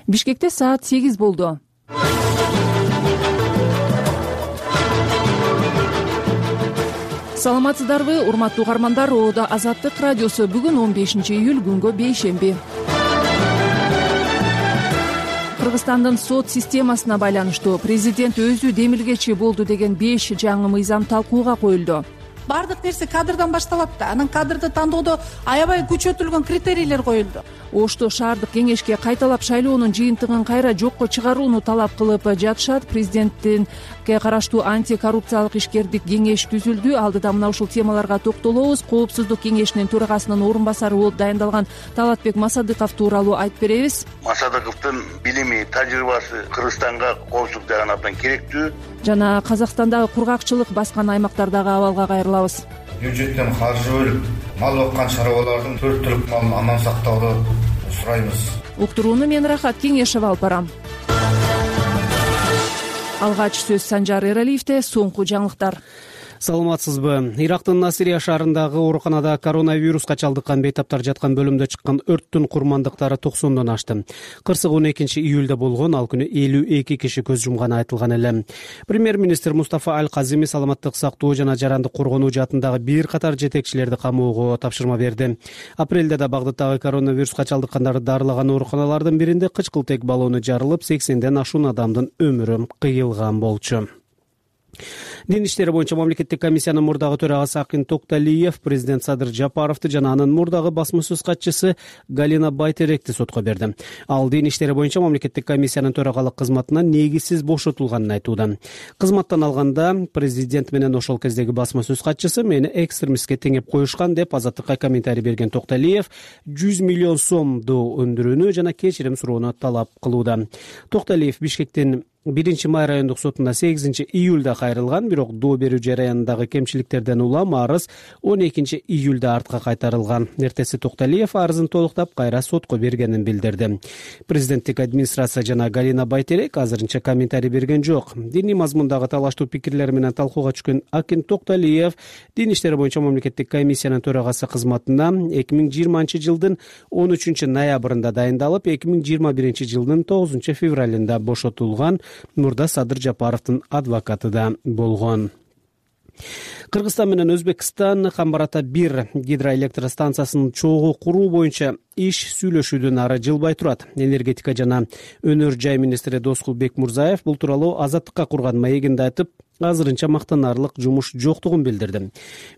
Бишкекте саат 8 болду. Саламатсыздарбы, урматтуу угармандар? Оода Азаттык радиосу. Бүгүн 15-июль, күнгө бейшемби. Кыргызстандын сот системасына байланыштуу президент өзү демилгечи болду деген 5 жаңы мыйзам талкууга коюлду. Бардык нерсе кадрдан башталат да. Анан кадрды тандоодо аябай күчөтүлгөн критерийлер коюлду. Ошто шаардык кеңешке кайталап шайлоонун жыйынтыгын кайра жокко чыгарууну талап кылып жатышат. Президенттикке караштуу антикоррупциялык ишкердик кеңеш түзүлдү. Алдыда мына ушул темаларга токтолобуз. Коопсуздук кеңешинин төрагасынын орун басары болуп дайындалган Талатбек Масадыков тууралуу айтып беребиз. Масадыковдун билими, тажрыйбасы Кыргызстанга коопсуздук жагынан абдан керектүү. Жана Казакстандагы кургакчылык баскан аймактардагы абалга кайрылабыз. Бюджеттен каржы бөлүп, мал баккан чарбалардын 4 түлүк малын аман сактоону сурайбыз. Уктурууну мен Рахат Кеңешева алып барам. Алгач сөз Санжар Эралиевде. Соңку жаңылыктар. Саламатсызбы? Ирактын Насирия шаарындагы ооруканада коронавируска чалдыккан бейтаптар жаткан бөлүмдө чыккан өрттүн курмандыктары 90дон ашты. Кырсык 12-июлда болгон, ал күнү 52 киши көз жумганы айтылган эле. Премьер-министр Мустафа Аль-Казими саламаттык сактоо жана жарандык коргонуу жаатындагы бир катар жетекчилерди камоого тапшырма берди. Апрелде да Багдадтагы коронавируска чалдыккандарды дарылаган ооруканалардын биринде кычкылтек баллону жарылып, 80ден ашуун адамдын өмүрү кыйылган болчу. Дин иштери боюнча мамлекеттик комиссиянын мурдагы төрагасы Акин Токталиев президент Садыр Жапаровду жана анын мурдагы басма сөз катчысы Галина Байтеректи сотко берди. Ал дин иштери боюнча мамлекеттик комиссиянын төрагалык кызматынан негизсиз бошотулганын айтууда. Кызматтан алганда президент менен ошол кездеги басма сөз катчысы мени экстремистке теңеп коюшкан деп Азаттыкка комментарий берген Токталиев 100 миллион сомду өндүрүүнү жана кечирим суроону талап кылууда. Токталиев Бишкектин 1-май райондук сотуна 8-июлда кайрылган, бирок доо берүү жараянындагы кемчиликтерден улам арыз 12-июлда артка кайтарылган. Эртеси Токталиев арызын толуктап кайра сотко бергенин билдирди. Президенттик администрация жана Галина Байтерек азырынча комментарий берген жок. Диний мазмундагы талаштуу пикирлер менен талкууга түшкөн Акин Токталиев дин иштери боюнча мамлекеттик комиссиянын төрагасы кызматына 2020-жылдын 13-ноябрында дайындалып, 2021-жылдын 9-февралында бошотулган. Мурда Садыр Жапаровдун адвокаты да болгон. Кыргызстан менен Өзбекстан Камбарата 1 гидроэлектростанциясынын чогуу куруу боюнча иш сүйлөшүүдөн ары жылбай турат. Энергетика жана өнөр жай министри Доскул Бекмурзаев бул тууралуу Азаттыкка курган маегинде айтып, азырынча мактанарлык жумуш жоктугун билдирди.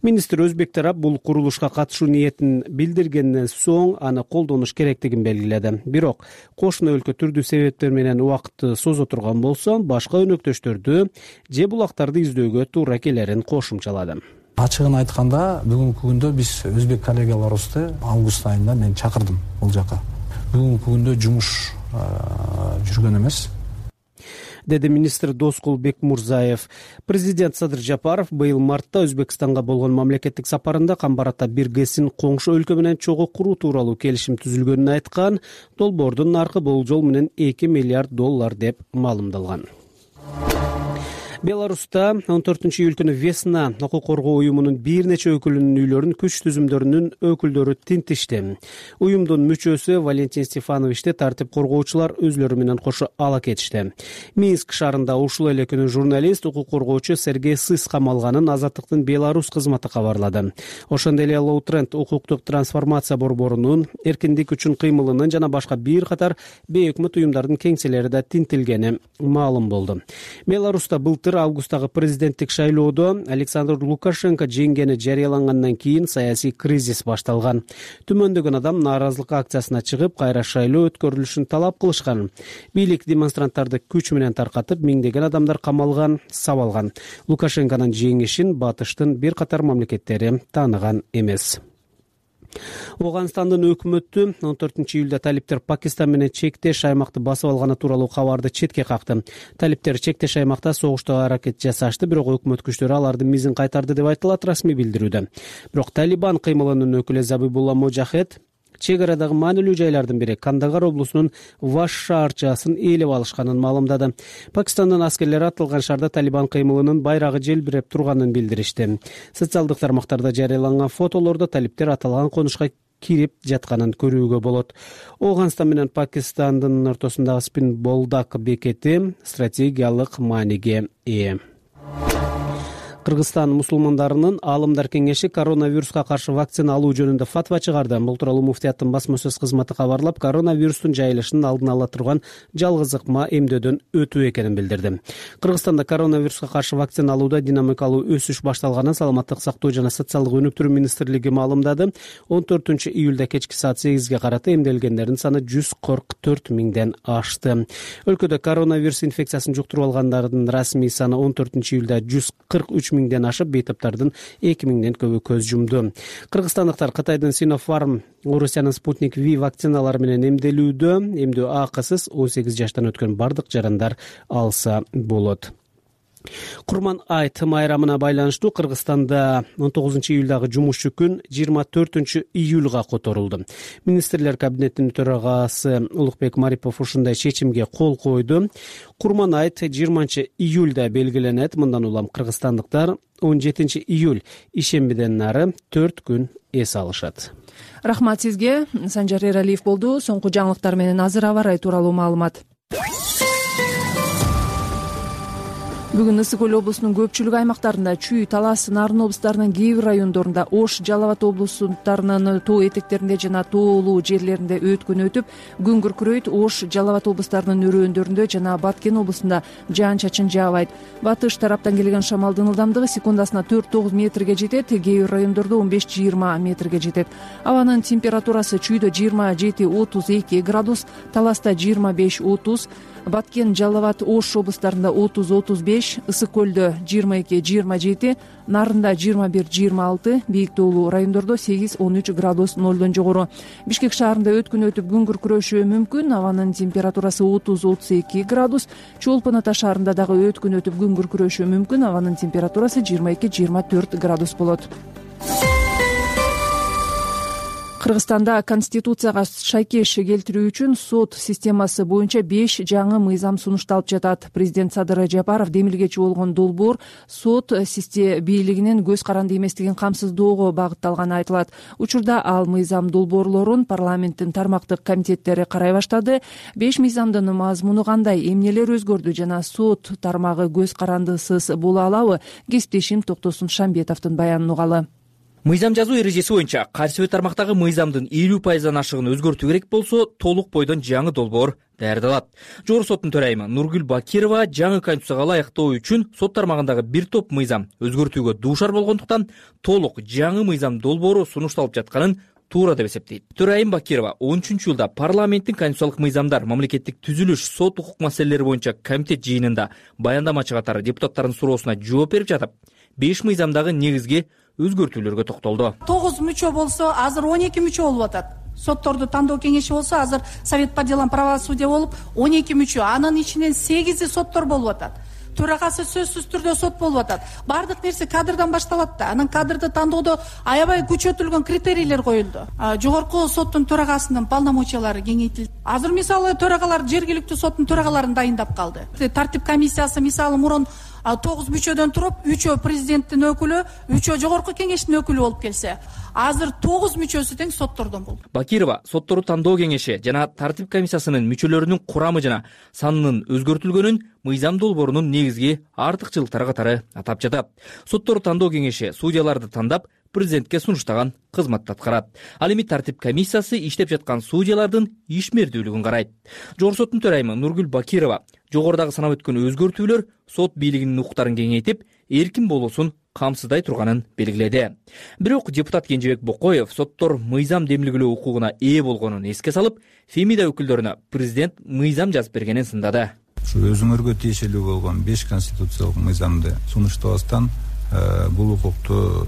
Министр өзбек тарап бул курулушка катышуу ниетин билдиргенден соң аны колдонуш керектигин белгиледи. Бирок кошуна өлкө түрдүү себептер менен убакытты созо турган болсо, башка өнөктөштөрдү же булактарды издөөгө туура келерин кошумчалады. Ачыгын айтканда, бүгүнкү күндө биз өзбек коллегаларыбызды август айында мен чакырдым бул жака. Бүгүнкү күндө жумуш жүргөн эмес, деди министр Доскул Бекмурзаев. Президент Садыр Жапаров быйыл мартта Өзбекстанга болгон мамлекеттик сапарында Камбарата 1 ГЭСин коңшу өлкө менен чогуу куруу тууралуу келишим түзүлгөнүн айткан. Долбоордун наркы болжол менен $2 миллиард деп маалымдалган. Беларуста 14-июль күнү Весна укук коргоо уюмунун бир нече өкүлүнүн үйлөрүн күч түзүмдөрүнүн өкүлдөрү тинтишти. Уюмдун мүчөсү Валентин Стефановичти тартип коргоочулар өзлөрү менен кошо ала кетишти. Минск шаарында ушул эле күнү журналист укук коргоочу Сергей Сыс камалганын Азаттыктын Беларусь кызматы кабарлады. Ошондой эле Low Trend укуктук трансформация борборунун эркиндик үчүн кыймылынын жана башка бир катар бейөкмөт уюмдардын кеңселери да тинтилгени маалым болду. Беларуста былтыр августтагы президенттик шайлоодо Александр Лукашенко жеңгени жарыялангандан кийин саясий кризис башталган. Түмөндөгөн адам нааразылык акциясына чыгып, кайра шайлоо өткөрүлүшүн талап кылышкан. Бийлик демонстранттарды күч менен таркатып, миңдеген адамдар камалган, сабалган. Лукашенконун жеңишин батыштын бир катар мамлекеттери тааныган эмес. Оганстандын өкмөтү 14-июлда талиптер Пакистан менен чектеш аймакты басып алганы тууралуу кабарды четке какты. Талиптер чектеш аймакта согуштуу аракет жасашты, бирок өкмөт күчтөрү алардын мизин кайтарды деп айтылат расмий билдирүүдө. Бирок Талибан кыймылынын өкүлү Забибулла Можахед чек арадагы маанилүү жайлардын бири Кандагар облусунун Ваш шаарчасын ээлеп алышканын маалымдады. Пакистандын аскерлери атылган шаарда Талибан кыймылынын байрагы желбиреп турганын билдиришти. Социалдык тармактарда жарыяланган фотолордо талиптер аталган конушка кирип жатканын көрүүгө болот. Ооганстан менен Пакистандын ортосундагы Спин Болдак бекети стратегиялык мааниге ээ. Кыргызстан мусулмандарынын аалымдар кеңеши коронавируска каршы вакцина алуу жөнүндө фатва чыгарды. Бул тууралуу муфтияттын басма сөз кызматы кабарлап, коронавирустун жайылышынын алдын ала турган жалгыз ыкма эмдөөдөн өтүү экенин билдирди. Кыргызстанда коронавируска каршы вакцина алууда динамикалуу өсүш башталганын Саламаттык сактоо жана социалдык өнүктүрүү министрлиги маалымдады. 14 июлда кечки саат 8ге карата эмделгендердин саны 144 миңден ашты. Өлкөдө коронавирус инфекциясын жуктуруп алгандардын расмий саны 14 июлда 143 миңден ашып, бейтаптардын 2 миңден көбү көз жумду. Кыргызстандыктар Кытайдын Sinopharm, Орусиянын Sputnik V вакциналары менен эмделүүдө. Эмдөө акысыз 18 жаштан өткөн бардык жарандар алса болот. Курман айт майрамына байланыштуу Кыргызстанда 19 июлдагы жумушчу күн 24 июлга которулду. Министрлер кабинетинин төрагасы Улукбек Марипов ушундай чечимге кол койду. Курман айт 20 июлда белгиленет. Мындан улам кыргызстандыктар 17 июль ишембиден нары 4 күн эс алышат. Рахмат сизге. Санжар Эралиев болду. Соңку жаңылыктар менен азыр аба ырайы тууралуу маалымат. Бүгүн Ысык Көл облусунун көпчүлүк аймактарында Чүй, Талас, Нарын облустарынын кээ бир райондорунда, Ош, Жалал Абад облустарынын тоо этектеринде жана тоолуу жерлеринде өткөн өтүп, күн күркүрөйт. Ош, Жалал Абад облустарынын өрөөндөрүндө жана Баткен облусунда жаан-чачын жаабайт. Батыш тараптан келген шамалдын ылдамдыгы секундасына 4-9 метрге жетет, кээ бир райондордо 15-20 метрге жетет. Абанын температурасы Чүйдө 27-32 градус, Таласта 25-30, Баткен, Жалал Абад, Ош облустарында 30-35, Ысык Көлдө 22-27, Нарында 21-26, бийик тоолуу райондордо 8-13 градус нолдон жогору. Бишкек шаарында өткөн өтүп күн күркүрөшү мүмкүн. Абанын температурасы 30-32 градус. Чолпон Ата шаарында дагы өткөн өтүп күн күркүрөшү мүмкүн. Абанын температурасы 22-24 градус болот. Кыргызстанда Конституцияга шайкеш келтирүү үчүн сот системасы боюнча 5 жаңы мыйзам сунушталып жатат. Президент Садыр Жапаров демилгечи болгон долбоор сот бийлигинин көз каранды эместигин камсыздоого багытталганы айтылат. Учурда ал мыйзам долбоорлорун парламенттин тармактык комитеттери карай баштады. 5 мыйзамдын мазмуну кандай, эмнелер өзгөрдү жана сот тармагы көз карандысыз боло алабы? Кесиптешим Токтосун Шамбетовдун баянын угалы. Мыйзам жазуу эрежеси боюнча кайсы бир тармактагы мыйзамдын 50% ашыгын өзгөртүү керек болсо, толук бойдон жаңы долбоор даярдалат. Жогорку соттун төрайымы Нургүл Бакирова жаңы конституцияга ылайыктоо үчүн сот тармагындагы бир топ мыйзам өзгөртүүгө дуушар болгондуктан толук жаңы мыйзам долбоору сунушталып жатканын туура деп эсептейт. Төрайым Бакирова 13-жылда парламенттин конституциялык мыйзамдар, мамлекеттик түзүлүш, сот укук маселелери боюнча комитет жыйынында баяндамачы катары депутаттардын суроосуна жооп берип жатып, 5 мыйзамдагы негизги өзгөртүүлөргө токтолду. 9 мүчө болсо, азыр 12 мүчө болуп атат. Сотторду тандоо кеңеши болсо, азыр Совет по делам правосудия болуп 12 мүчө. Анын ичинен 8 соттор болуп атат. Төрагасы сөзсүз түрдө сот болуп атат. Бардык нерсе кадрдан башталат да. Анын кадрды тандоодо аябай күчөтүлгөн критерийлер коюлду. Жогорку соттун төрагасынын полномочиялары кеңейтилди. Азыр мисалы төрагалар жергиликтүү соттун төрагаларын дайындап калды. Тартип комиссиясы мисалы мурун 9 мүчөдөн туруп, 3 президенттин өкүлү, 3 жогорку кеңештин өкүлү болуп келсе, азыр 9 мүчөсү тең соттордон болду. Бакирова соттору тандоо кеңеши жана тартип комиссиясынын мүчөлөрүнүн курамы жана санынын өзгөртүлгөнүн мыйзам долбоорунун негизги артыкчылыктары катары атап жатат. Соттору тандоо кеңеши судьяларды тандап, президентке сунуштаган кызматты аткарат. Ал эми тартип комиссиясы иштеп жаткан судьялардын ишмердүүлүгүн карайт. Жогорку соттун төрайымы Нургүл Бакирова жогорудагы санап өткөн өзгөртүүлөр сот бийлигинин укуктарын кеңейтип, эркин болуусун камсыздай турганын белгиледи. Бирок депутат Кенжебек Бокоев соттор мыйзам демилгелөө укугуна ээ болгонун эске салып, Фемида өкүлдөрүнө президент мыйзам жазып бергенин сындады. Өзүңөргө тиешелүү болгон 5 конституциялык мыйзамды сунуштабастан бул укукту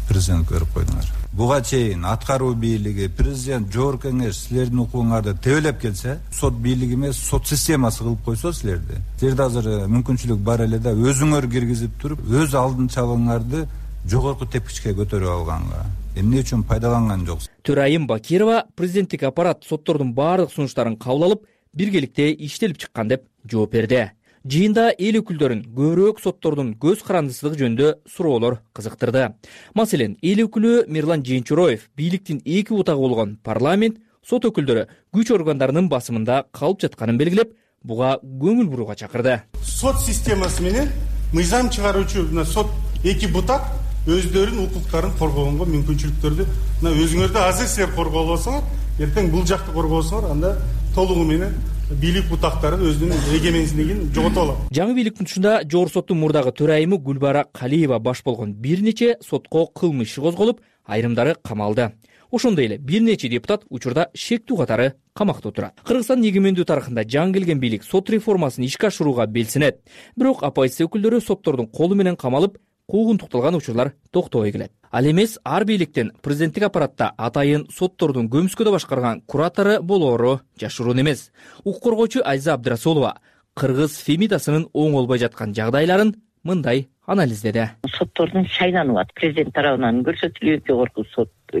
президент көрүп койдуңар. Буга чейин аткаруу бийлиги, президент, жогорку кеңеш силердин укугуңарды тебелеп келсе, сот бийлиги эмес, сот системасы кылып койсо силерди. Силерде азыр мүмкүнчүлүк бар эле да өзүңөр киргизип туруп, өз алдынчалыгыңарды жогорку тепкичке көтөрүп алганга эмне үчүн пайдаланган жоксуз? Төрайым Бакирова президенттик аппарат соттордун баардык сунуштарын кабыл алып, биргеликте иштелип чыккан деп жооп берди. Жыйында эл өкүлдөрүн көбүрөөк соттордун көз карандысыздыгы жөнүндө суроолор кызыктырды. Маселен, эл өкүлү Мирлан Жээнчуроев бийликтин эки бутагы болгон парламент, сот өкүлдөрү күч органдарынын басымында калып жатканын белгилеп, буга көңүл буруга чакырды. Сот системасы менен мыйзам чыгаруучу сот эки бутак өздөрүнүн укуктарын коргогонго мүмкүнчүлүктөрдү өзүңөрдү азыр силер коргоп алсаңар, эртең бул жакты коргосоңор, анда толугу менен бийлик бутактары өзүнүн эгемендүүлүгүн жоготуп алат. Жаңы бийликтин тушунда Жогорку соттун мурдагы төрайымы Гүлбара Калиева баш болгон бир нече сотко кылмыш иши козголуп, айрымдары камалды. Ошондой эле бир нече депутат учурда шектүү катары камакта отурат. Кыргызстан эгемендүү тарыхында жаңы келген бийлик сот реформасын ишке ашырууга белсенет. Бирок оппозиция өкүлдөрү соттордун колу менен камалып, куугунтукталган учурлар токтобой келет. Ал эмес ар бийликтин президенттик аппаратта атайын соттордун көмүскөдө башкарган куратору болоору жашыруун эмес. Укук коргоочу Айза Абдрасулова кыргыз Фемидасынын оңолбой жаткан жагдайларын мындай анализдеди. Соттордун шайланып атат. Президент тарабынан көрсөтүлүп,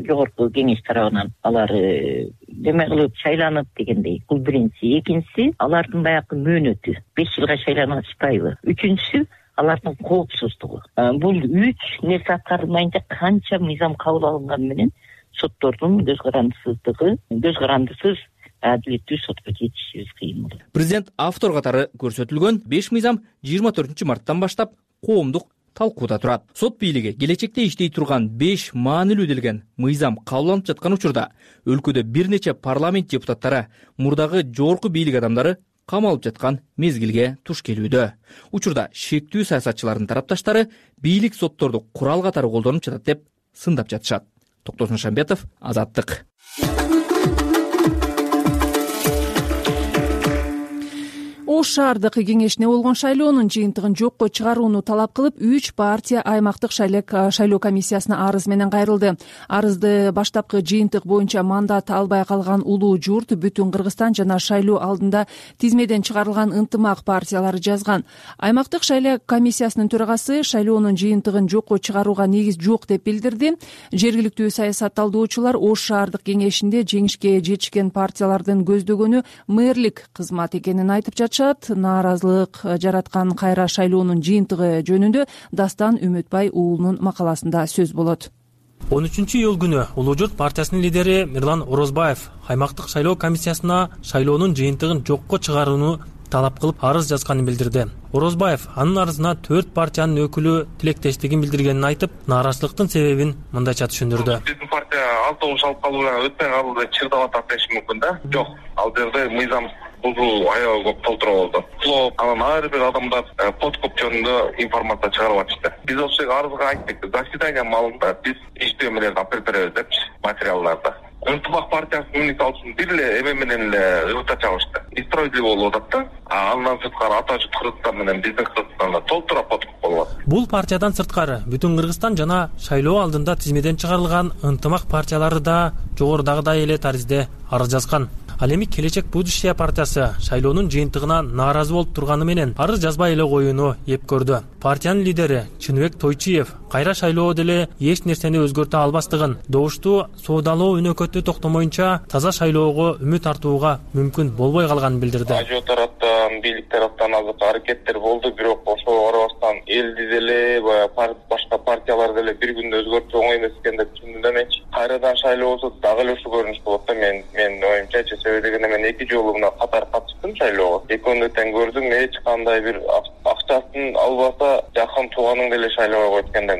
жогорку кеңеш тарабынан алар неме кылып шайланып дегендей. Бул биринчиси. Экинчиси, алардын баягы мөөнөтү 5 жылга шайланып атышпайбы? Үчүнчүсү, алардын коопсуздугу. Бул 3 нерсе аткарылмайынча канча мыйзам кабыл алынганы менен соттордун көз карандысыз адилеттүү сотко жетишибиз кыйын болот. Президент автор катары көрсөтүлгөн 5 мыйзам 24 марттан баштап коомдук талкууда турат. Сот бийлиги келечекте иштей турган 5 маанилүү делген мыйзам кабылданып жаткан учурда өлкөдө бир нече парламент депутаттары мурдагы жогорку бийлик адамдары камалып жаткан мезгилге туш келүүдө. Учурда шектүү саясатчылардын тарапташтары бийлик сотторду курал катары колдонуп жатат деп сындап жатышат. Токтосун Шамбетов, Азаттык. Ош шаардык кеңешине болгон шайлоонун жыйынтыгын жокко чыгарууну талап кылып, 3 партия аймактык шайлоо комиссиясына арыз менен кайрылды. Арызды баштапкы жыйынтык боюнча мандат албай калган улуу журт, Бүтүн Кыргызстан жана шайлоо алдында тизмеден чыгарылган ынтымак партиялары жазган. Аймактык шайлоо комиссиясынын төрагасы шайлоонун жыйынтыгын жокко чыгарууга негиз жок деп билдирди. Жергиликтүү саясатталдоочулар Ош шаардык кеңешинде жеңишке жетишкен партиялардын көздөгөнү мэрлик кызмат экенин айтып жатышат. Нааразылык жараткан кайра шайлоонун жыйынтыгы жөнүндө Дастан Үмүтбай уулунун макаласында сөз болот. 13-июл күнү Улуу журт партиясынын лидери Мирлан Орозбаев аймактык шайлоо комиссиясына шайлоонун жыйынтыгын жокко чыгарууну талап кылып арыз жазганын билдирди. Орозбаев анын арызына 4 партиянын өкүлү тилектештигин билдиргенин айтып, нааразычылыктын себебин мындайча түшүндүрдү. Биздин партия автобус алып калуу менен өтпөй калды, чырдап атат деши мүмкүн да. Жок, ал жерде мыйзам бузуу аябай көп толтура болду. Анан ар бир адамдар подкуп жөнүндө информация чыгарып атышты. Биз ошол арызга айттык, заседание маалында биз иштөө менен алып беребиз депчи материалдарды. Ынтымак партиясынын мисалы үчүн бир эле эме менен эле ырта чабышты. Несправедливо болуп атат да. Андан сырткары ата журт Кыргызстан менен биздин Кыргызстанда толтура подкуп болот. Бул партиядан сырткары Бүтүн Кыргызстан жана шайлоо алдында тизмеден чыгарылган ынтымак партиялары да жогорудагыдай эле таризде арыз жазган. Ал эми Келечек Будущее партиясы шайлоонун жыйынтыгына нааразы болуп турганы менен арыз жазбай эле коюуну эп көрдү. Партиянын лидери Чыныбек Тойчиев кайра шайлоо деле эч нерсени өзгөртө албастыгын, добуштуу соодалоо өнөкөтү токтомоюнча таза шайлоого үмүт артууга мүмкүн болбой калганын билдирди. Ажо тараптан, бийлик тараптан азыр аракеттер болду, бирок ошого карабастан элди деле, башка партиялар деле бир күндө өзгөртүү оңой эмес экен деп түшүндүм эмечи. Кайрадан шайлоо болсо дагы эле ушул көрүнүш болот да. Мен оюмча дегенде мен 2 жолу мына катар катыштым шайлоого. Экөөнү тең көрдүм, эч кандай бир акчасын албаса жакын тууганың деле шайлоого койт экен деп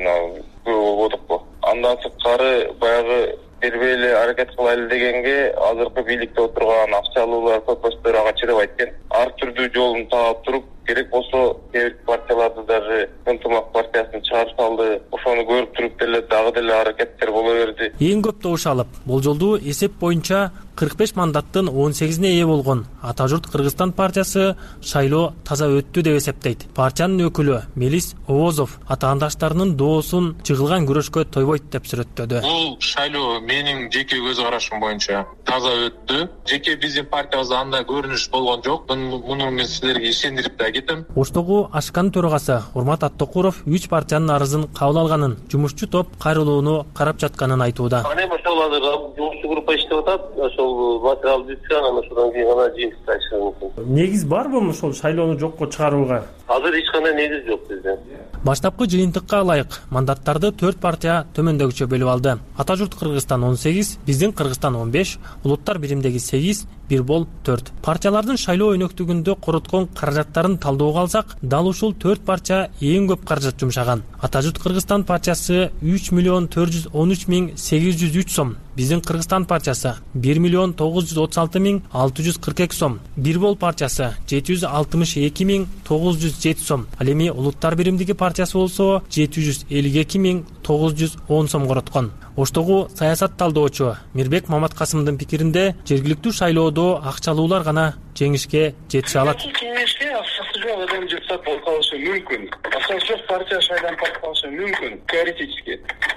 болдук го. Андан сырткары баягы бербей эле аракет кылайлы дегенге азыркы бийликте отурган акчалуулар көпөстөр ага чыдап айткен. Ар түрдүү жолун таап туруп, керек болсо кээ бир партияларды даже ынтымак партиясын чыгарып салды. Ошону көрүп туруп деле дагы деле аракеттер боло берди. Эң көп добуш алып, болжолдуу эсеп боюнча 45 мандаттын 18-ине ээ болгон Ата журт Кыргызстан партиясы шайлоо таза өттү деп эсептейт. Партиянын өкүлү Мелис Овозов атаандаштарынын доосун чыгылган күрөшкө тойбойт деп сүрөттөдү. Бул шайлоо менин жеке көз карашым боюнча таза өттү. Жеке биздин партиябызда андай көрүнүш болгон жок. Муну мен силерге ишендирип да кетем. Оштогу Ашканын төрагасы Урмат Аттокуров 3 партиянын арызын кабыл алганын, жумушчу топ топ кайрылууну карап жатканын айтууда. Ошол азыр жумушчу группа иштеп атат. Ошол материал бүткөн, анан ошондон кийин гана жыйынтыкка чыгышы мүмкүн. Негиз барбы ошол шайлоону жокко чыгарууга? Азыр эч кандай негиз жок бизде. Баштапкы жыйынтыкка ылайык мандаттарды 4 партия төмөндөгүчө бөлүп алды. Ата журт Кыргызстан 18, биздин Кыргызстан 15, улуттар биримдеги 8, бир бол 4. Партиялардын шайлоо өнөктүгүндө короткон каражаттарын талдоого алсак, дал ушул 4 партия эң көп каражат жумшаган. Ата журт Кыргызстан партиясы 3.413.803 сом, биздин Кыргызстан партиясы 1.936.642 сом, бир бол партиясы 762.907 сом. Ал эми улуттар биримдиги партиясы болсо 752.910 сом короткон. Оштогу саясат талдоочу Мирбек Маматкасымдын пикиринде жергиликтүү шайлоодо акчалуулар гана жеңишке жетише алат. Кеңешке акчасы жок адам депутат болуп калышы мүмкүн. Акчасы жок партия шайланып калышы мүмкүн теоретически.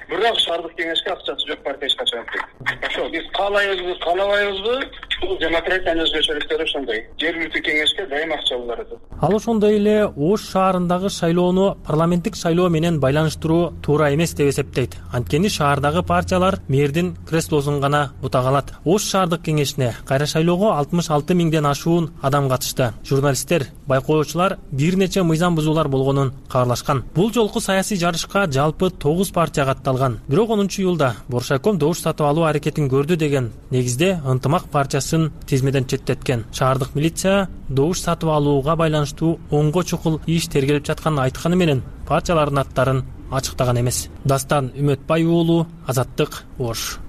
Бирок шаардык кеңешке акчасы жок партия эч качан келбейт. Ошо биз каалайбызбы, каалабайбызбы? Бул демократиянын өзгөчөлүктөрү ошондой. Жергиликтүү кеңешке дайым акчалуулар атат. Ал ошондой эле Ош шаарындагы шайлоону парламенттик шайлоо менен байланыштыруу туура эмес деп эсептейт. Анткени шаардагы партиялар мэрдин креслосун гана бутага алат. Ош шаардык кеңешине кайра шайлоого 66 миңден ашуун адам катышты. Журналисттер, байкоочулар бир нече мыйзам бузуулар болгонун кабарлашкан. Бул жолку саясий жарышка жалпы 9 партия катталган. Бирок 10-июлда Боршайком добуш сатып алуу аракетин көрдү деген негизде Ынтымак партиясын тизмеден четтеткен. Шаардык милиция добуш сатып алууга байланыштуу онго чукул иш тергелип жатканын айтканы менен партиялардын аттарын ачыктаган эмес. Дастан Үмөтбай уулу, Азаттык, Ош.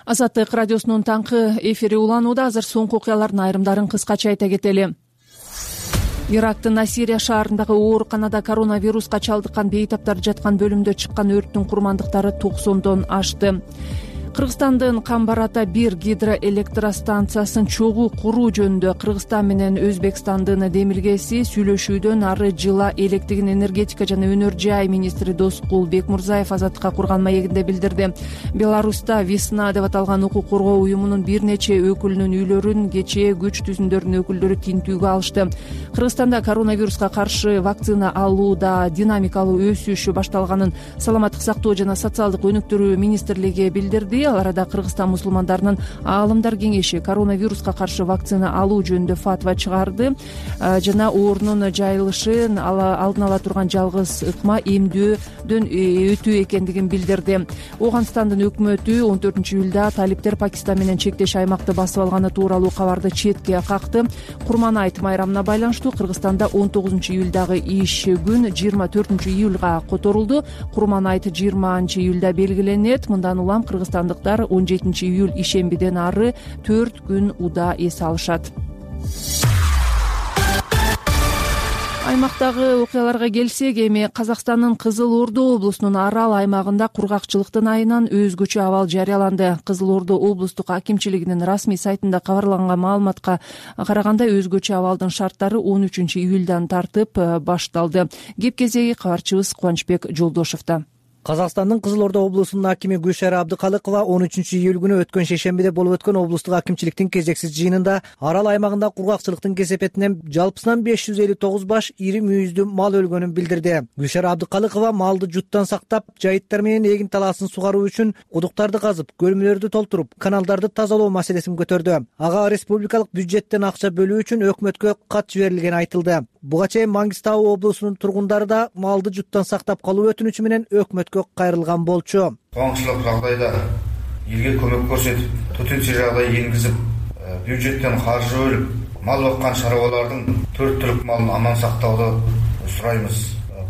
Азаттык радиосунун таңкы эфири уланууда. Азыр соңку окуялардын айрымдарын кыскача айта кетели. Ирактын Насирия шаарындагы ооруканада коронавируска чалдыккан бейтаптар жаткан бөлүмдө чыккан өрттүн курмандыктары 90дон ашты. Кыргызстандын Камбар-Ата 1 гидроэлектростанциясын чогуу куруу жөнүндө Кыргызстан менен Өзбекстандын демилгеси сүйлөшүүдөн ары жыла электигин энергетика жана өнөр жай министри Доскул Бекмурзаев Азаттыкка курган маегинде билдирди. Беларуста Весна деп аталган укук коргоо уюмунун бир нече өкүлүнүн үйлөрүн кечээ күч түзүмдөрүнүн өкүлдөрү тинтүүгө алышты. Кыргызстанда коронавируска каршы вакцина алууда динамикалуу өсүш башталганын Саламаттык сактоо жана социалдык өнүктүрүү министрлиги билдирди. Ал арада Кыргызстан мусулмандарынын аалымдар кеңеши коронавируска каршы вакцина алуу жөнүндө фатва чыгарды жана оорунун жайылышын алдын ала турган жалгыз ыкма эмдөөдөн өтүү экендигин билдирди. Ооганстандын өкмөтү 14-июлда талиптер Пакистан менен чектеш аймакты басып алганы тууралуу кабарды четке какты. Курман-айт майрамына байланыштуу Кыргызстанда 19-июлдагы иш күн 24-июлга которулду. Курман-айт 20-июлда белгиленет. Мындан улам кыргызстандыктар 17-июль ишембиден ары 4 күн уда эс алышат. Аймактагы окуяларга келсек, эми Казакстандын Кызыл Ордо облусунун Арал аймагында кургакчылыктын айынан өзгөчө абал жарыяланды. Кызыл Ордо облустук акимчилигинин расмий сайтында кабарланган маалыматка караганда өзгөчө абалдын шарттары 13-июлдан тартып башталды. Кеп кезеги кабарчыбыз Кубанычбек Жолдошовдо. Казакстандын Кызыл Ордо облусунун акими Гүлшара Абдыкалыкова 13-июль күнү өткөн шейшембиде болуп өткөн облустук акимчиликтин кезексиз жыйынында Арал аймагында кургакчылыктын кесепетинен жалпысынан 559 баш ири мүйүздүү мал өлгөнүн билдирди. Гүлшара Абдыкалыкова малды жуттан сактап, жайыттар менен эгин талаасын сугаруу үчүн кудуктарды казып, көлмөлөрдү толтуруп, каналдарды тазалоо маселесин көтөрдү. Ага республикалык бюджеттен акча бөлүү үчүн өкмөткө кат жиберилгени айтылды. Буга чейин Маңгыстау облусунун тургундары да малды жуттан сактап калуу өтүнүчү менен өкмөткө кайрылган болчу. Коомчулук жагдайда элге көмөк көрсөтүп, төтенчө жагдай энгизип, бюджеттен каржы бөлүп, мал баккан чарбалардын 4 түлүк малын аман сактауды сурайбыз.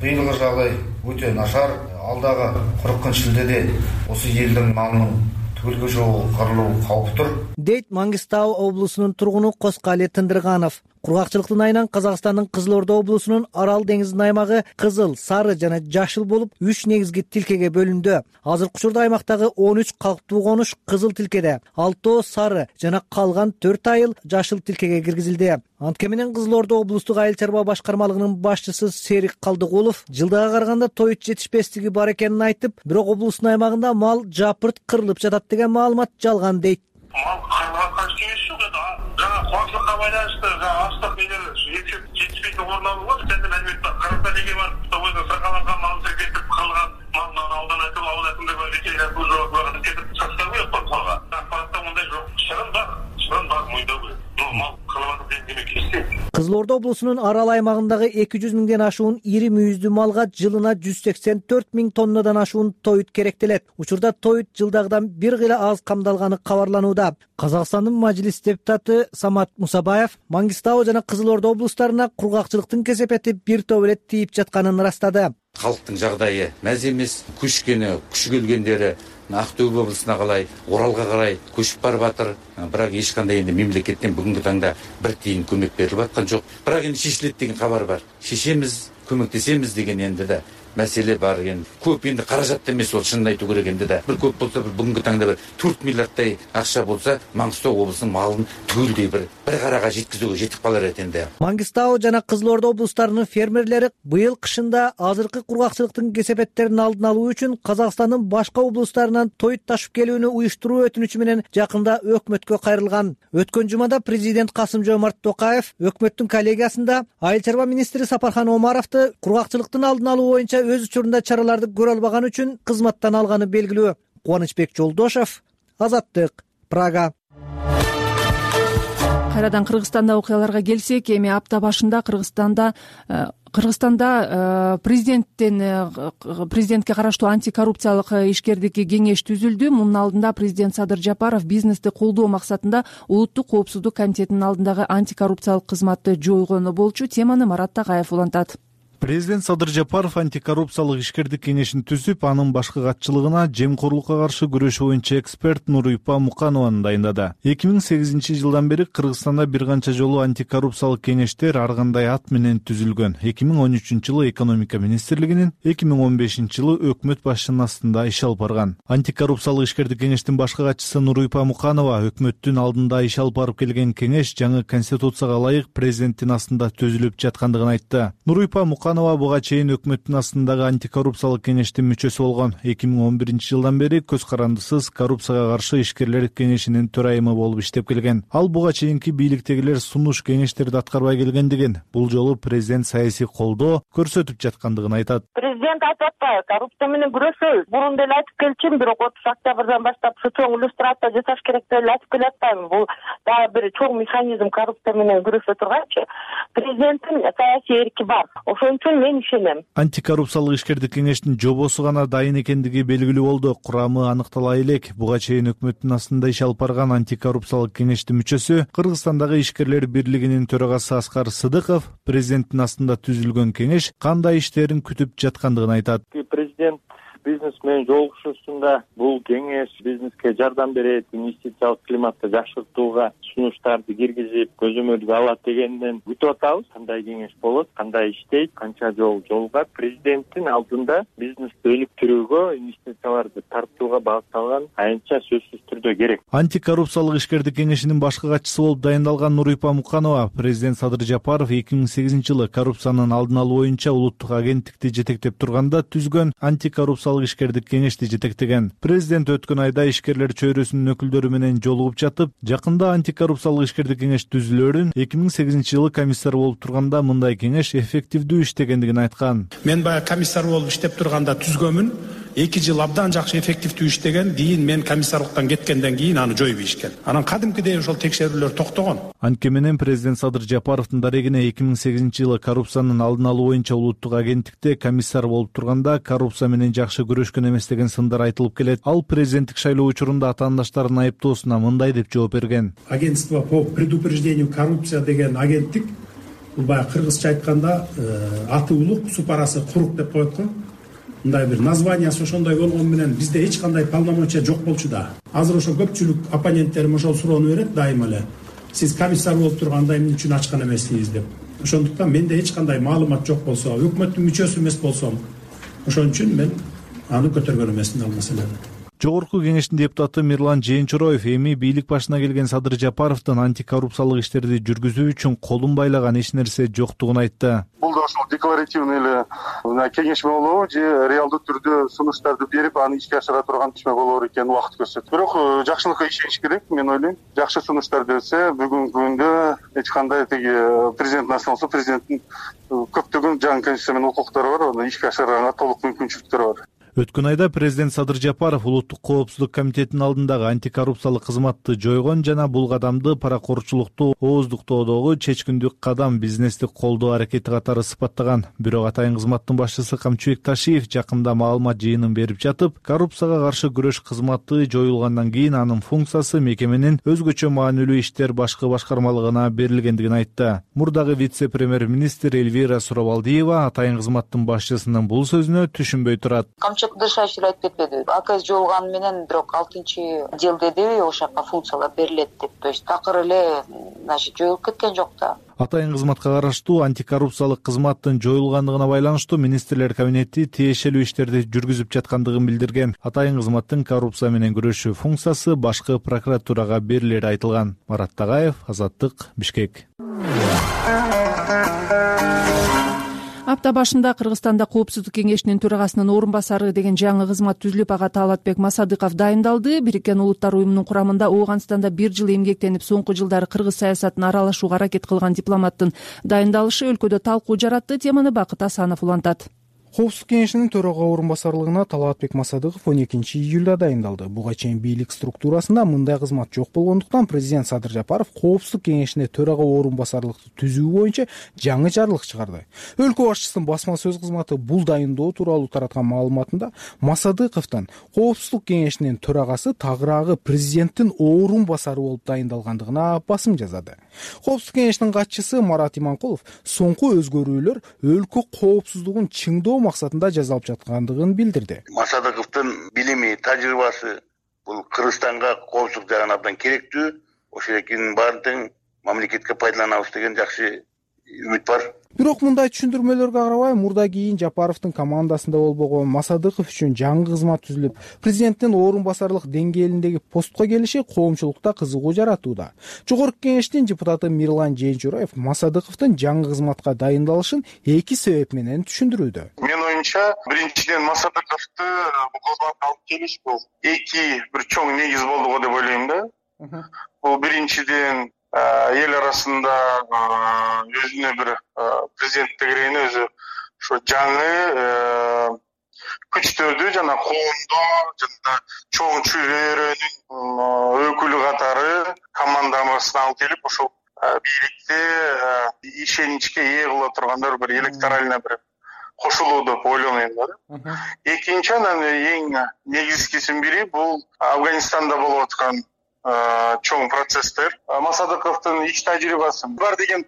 Быйылкы жагдай өтө нашар. Алдагы 40-шилдеде осы элдин малынын түгөлгө чогулуу кабып тур, дейт Маңгыстау облусунун тургуну Коскали Тындырганов. Кургакчылыктын айынан Казакстандын Кызыл Ордо облусунун Арал деңизинин аймагы кызыл, сары жана жашыл болуп 3 негизги тилкеге бөлүндү. Азыркы учурда аймактагы 13 калктуу конуш кызыл тилкеде, 6 сары жана калган 4 айыл жашыл тилкеге киргизилди. Антке менен Кызыл Ордо облустук айыл чарба башкармалыгынын башчысы Серик Калдыгулов жылдыга караганда тоют жетишпестиги бар экенин айтып, бирок облустун аймагында мал жапырт кырылып жатат деген маалымат жалган дейт. Мал кырылган кеңеш жок, жана коомчулукка байланыштуу астык менен жетишпейтин орун алууга сенде мәлімет бар. Карата деге бар, өзү сакаланган малды кетип кырылган малдан алдан айтып Кызыл Орда облусунун арал аймагындагы 200 миңден ашуун ири мүйүздүү малга жылына 184 миң тоннадан ашуун тоют керектелет. Учурда тоют жылдагыдан бир кыйла аз камдалганы кабарланууда. Казакстандын мажлис депутаты Самат Мусабаев Маңгыстау жана Кызыл Орда облустарына кургакчылыктын кесепети бир топ эле тийип жатканын ырастады. Калктын жагдайы мәз эмес, күч келгендери Ақтөбе облусуна калай, Оралга карай көчүп барып атыр. Бирок эч кандай энди мамлекеттен бүгүнкү таңда бир тиын көмөк берилип аткан жок. Бирок энди шешилет деген кабар бар. Шешемиз, көмөктесемиз деген энди да маселе бар экен. Көп энди каражат эмес ол, чынын айтуу керек энди да. Бир көп болсо бүгүнкү таңда бир 4 миллиардтай акча болсо, Маңгыстау облусунун малын түгүлдей бир карага жеткизүүгө жетип калар экен. Маңгыстау жана Кызыл Орда облустарынын фермерлери быйыл кышында азыркы кургакчылыктын кесепеттерин алдын алуу үчүн Казакстандын башка облустарынан тоют ташып келүүнү уюштуруу өтүнүчү менен жакында өкмөткө кайрылган. Өткөн жумада президент Касым-Жомарт Токаев өкмөттүн коллегиясында айыл чарба министри Сапархан Омаровду кургакчылыктын алдын алуу боюнча өз учурунда чараларды көрө албаган үчүн кызматтан алганы белгилүү. Кубанычбек Жолдошев, Азаттык, Прага. Кайрадан Кыргызстанда окуяларга келсек, эми апта башында Кыргызстанда президентке караштуу антикоррупциялык ишкердик кеңеш түзүлдү. Мунун алдында президент Садыр Жапаров бизнести колдоо максатында улуттук коопсуздук комитетинин алдындагы антикоррупциялык кызматты жойгону болчу. Теманы Марат Тагаев улантат. Президент Садыр Жапаров антикоррупциялык ишкердик кеңешин түзүп, анын башкы катчылыгына жемкорлукка каршы күрөш боюнча эксперт Нурипа Муканованы дайындады. 2008-жылдан бери Кыргызстанда бир канча жолу антикоррупциялык кеңештер ар кандай ат менен түзүлгөн. 2013-жылы экономика министрлигинин, 2015-жылы өкмөт башчынын астында иш алып барган. Антикоррупциялык ишкердик кеңештин башкы катчысы Нурипа Муканова өкмөттүн алдында иш алып барып келген кеңеш жаңы конституцияга ылайык президенттин астында түзүлүп жаткандыгын айтты. Нурипа Муканова буга чейин өкмөттүн астындагы антикоррупциялык кеңештин мүчөсү болгон. 2011-жылдан бери көз карандысыз коррупцияга каршы ишкерлер кеңешинин төрайымы болуп иштеп келген. Ал буга чейинки бийликтегилер сунуш кеңештерди аткарбай келгендигин, бул жолу президент саясий колдоо көрсөтүп жаткандыгын айтат. Президент айтып атпайбы, коррупция менен күрөшөбүз. Мурун деле айтып келчүмүн, бирок 30 октябрдан баштап чоң иллюстрация жасаш керек деп эле айтып келатпаймынбы. Бул дагы бир чоң механизм коррупция менен күрөшө турганчы. Президенттин саясий эрки бар. Ошон үчүн мен ишенем. Антикоррупциялык ишкердик кеңештин жобосу гана дайын экендиги белгилүү болду. Курамы аныктала элек. Буга чейин өкмөттүн астында иш алып барган антикоррупциялык кеңештин мүчөсү, Кыргызстандагы ишкерлер бирлигинин төрагасы Аскар Сыдыков президенттин астында түзүлгөн кеңеш кандай иштерин күтүп жаткандыгын айтат. Президент бизнес менен жолугушуусунда бул кеңеш бизнеске жардам берет, инвестициялык климатты жакшыртууга сунуштарды киргизип, көзөмөлгө алат дегенден күтүп атабыз. Кандай кеңеш болот, кандай иштейт, канча жол жолугат. Президенттин алдында бизнести өнүктүрүүгө, инвестицияларды тартууга багытталган аянтча сөзсүз түрдө керек. Антикоррупциялык ишкердик кеңешинин башкы катчысы болуп дайындалган Нурипа Муканова президент Садыр Жапаров 2008-жылы коррупциянын алдын алуу боюнча улуттук агенттикти жетектеп турганда түзгөн антикоррупциялык ишкердик кеңешти жетектеген. Президент өткөн айда ишкерлер чөйрөсүнүн өкүлдөрү менен жолугуп жатып, жакында антикоррупциялык ишкердик кеңеш түзүлөрүн 2008-жылы комиссар болуп турганда мындай кеңеш эффективдүү иштегендигин айткан. Мен баягы комиссар болуп иштеп турганда түзгөнмүн. 2 жыл абдан жакшы эффективдүү иштеген. Кийин мен комиссарлыктан кеткенден кийин аны жойуп ишкен. Анан кадимкидей ошол текшерүүлөр токтогон. Анткени менен президент Садыр Жапаровдун дарегине 2008-жылы коррупциянын алдын алуу боюнча улуттук агенттикте комиссар болуп турганда коррупция менен жакшы күрөшкөн эмес деген сындар айтылып келет. Ал президенттик шайлоо учурунда атаандаштарынын айыптоосуна мындай деп жооп берген. Агентство по предупреждению коррупции деген агенттик, бул баягы кыргызча айтканда аты улук, су парасы курук деп коет го. Мындай бир названиясы ошондой болгон менен бизде эч кандай полномочия жок болчу да. Азыр ошо көпчүлүк оппоненттерим ошол суроону берет дайыма эле. Сиз комиссар болуп турганда эмне үчүн ачкан эмессиз деп. Ошондуктан менде эч кандай маалымат жок болсо, өкмөттүн мүчөсү эмес болсом, ошон үчүн мен аны көтөргөн эмесмин ал маселени. Жогорку кеңештин депутаты Мирлан Жээнчороев эми бийлик башына келген Садыр Жапаровдун антикоррупциялык иштерди жүргүзүү үчүн колун байлаган эч нерсе жоктугун айтты. Бул да ошол декларативный эле кеңешме болобу же реалдуу түрдө сунуштарды берип аны ишке ашыра турган кеңешме болор экенин убакыт көрсөтөт. Бирок жакшылыкка ишениш керек, мен ойлойм. Жакшы сунуштар берсе, бүгүнкү күндө эч кандай тиги президенттин астында болсо, президенттин көптөгөн жаңы конституция менен укуктары бар, аны ишке ашырганга толук мүмкүнчүлүктөрү бар. Өткөн айда президент Садыр Жапаров улуттук коопсуздук комитетинин алдындагы антикоррупциялык кызматты жойгон жана бул кадамды паракорчулукту ооздуктоодогу чечкиндүү кадам, бизнести колдоо аракети катары сыпаттаган. Бирок атайын кызматтын башчысы Камчыбек Ташиев жакында маалымат жыйынын берип жатып, коррупцияга каршы күрөш кызматы жоюлгандан кийин анын функциясы мекеменин өзгөчө маанилүү иштер башкы башкармалыгына берилгендигин айтты. Мурдагы вице-премьер-министр Эльвира Суровалдиева атайын кызматтын башчысынын бул сөзүнө түшүнбөй турат. Камчыбек Ташиев айтып кетпеди. АКС жоюлганы менен бирок 6-жыл деди, ошол жака функциялар берилет деп. То есть такыр эле жоюлуп кеткен жок да. Атайын кызматка караштуу антикоррупциялык кызматтын жоюлгандыгына байланыштуу министрлер кабинети тиешелүү иштерди жүргүзүп жаткандыгын билдирген. Атайын кызматтын коррупция менен күрөшүү функциясы башкы прокуратурага берилери айтылган. Марат Тагаев, Азаттык, Бишкек. Апта башында Кыргызстанда Коопсуздук кеңешинин төрагасынын орун басары деген жаңы кызмат түзүлүп, ага Талатбек Масадыков дайындалды. Бириккен Улуттар уюмунун курамында Ооганстанда 1 жыл эмгектенип, соңку жылдары кыргыз саясатына аралашууга аракет кылган дипломаттын дайындалышы өлкөдө талкуу жаратты. Теманы Бакыт Асанов улантат. Коопсуздук кеңешинин төрага орун басарлыгына Талатбек Масадыков 12-июлда дайындалды. Буга чейин бийлик структурасында мындай кызмат жок болгондуктан президент Садыр Жапаров Коопсуздук кеңешине төрага орун басарлыкты түзүү боюнча жаңы жарлык чыгарды. Өлкө башчысынын басма сөз кызматы бул дайындоо тууралуу тараткан маалыматында Масадыковдон Коопсуздук кеңешинин төрагасы тагыраагы президенттин орун басары болуп дайындалгандыгына басым жазады. Коопсуздук кеңешинин катчысы Марат Иманкулов соңку өзгөрүүлөр өлкө коопсуздугун чыңдоо максатында жасалып жаткандыгын билдирди. Масадыковдун билими, тажрыйбасы бул Кыргызстанга коопсуздук жагынан абдан керектүү. Ошол экинин баарын мамлекетке пайдаланабыз деген жакшы үмүт бар. Бирок мындай түшүндүрмөлөргө карабай, мурда кийин Жапаровдун командасында болбогон Масадыков үчүн жаңы кызмат түзүлүп, президенттин орун басарлык деңгээлиндеги постко келиши коомчулукта кызыгуу жаратууда. Жогорку кеңештин депутаты Мирлан Жээнчураев Масадыковдун жаңы кызматка дайындалышын эки себеп менен түшүндүрүүдө. Менин оюмча, биринчиден Масадыковду бул кызматка алып келиш бул эки бир чоң негиз болду го деп ойлойм да. Бул биринчиден эл арасында өзүнө бир президенттигин өзү ошо жаңы күчтөрдү жана коомдо жана чоң чөйрөнүн өкүлү катары командасына алып келип, ошол бийликте ишеничке ээ кыла турган бир электоральный бир кошулуу деп ойлойм да. Экинчи, анан эң негизгисинин бири бул Афганистанда болуп аткан чоң процесстер. Масадыковдун иш тажрыйбасы бар деген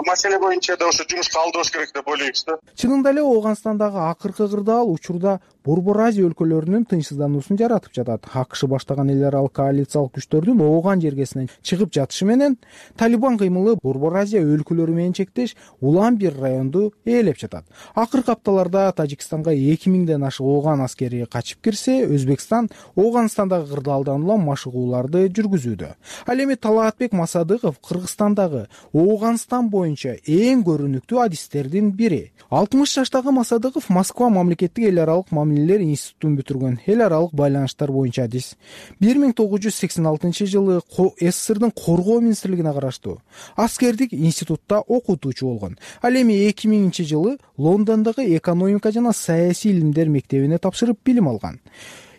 маселе боюнча да ошо жумушка алдырыш керек деп ойлойбуз да. Чынында эле Ооганстандагы акыркы кырдаал учурда Борбор Азия өлкөлөрүнүн тынчсыздануусун жаратып жатат. АКШ баштаган эл аралык коалициялык күчтөрдүн Ооган жергесинен чыгып жатышы менен Талибан кыймылы Борбор Азия өлкөлөрү менен чектеш Улан-Бир районду ээлеп жатат. Акыркы апталарда Тажикстанга 2000ден ашык Ооган аскери качып кирсе, Өзбекстан Ооганстандагы кырдаалдан улам машыгууларды жүргүзүүдө. Ал эми Талатбек Масадыков Кыргызстандагы Ооганстан боюнча эң көрүнүктүү адистердин бири. 60 жаштагы Масадыков Москва мамлекеттик эл аралык мамилелер институтун бүтүргөн, эл аралык байланыштар боюнча адис. 1986 жылы СССРдин коргоо министрлигине караштуу аскердик институтта окутуучу болгон. Ал эми 2000 жылы Лондондогу экономика жана саясий илимдер мектебине тапшырып билим алган.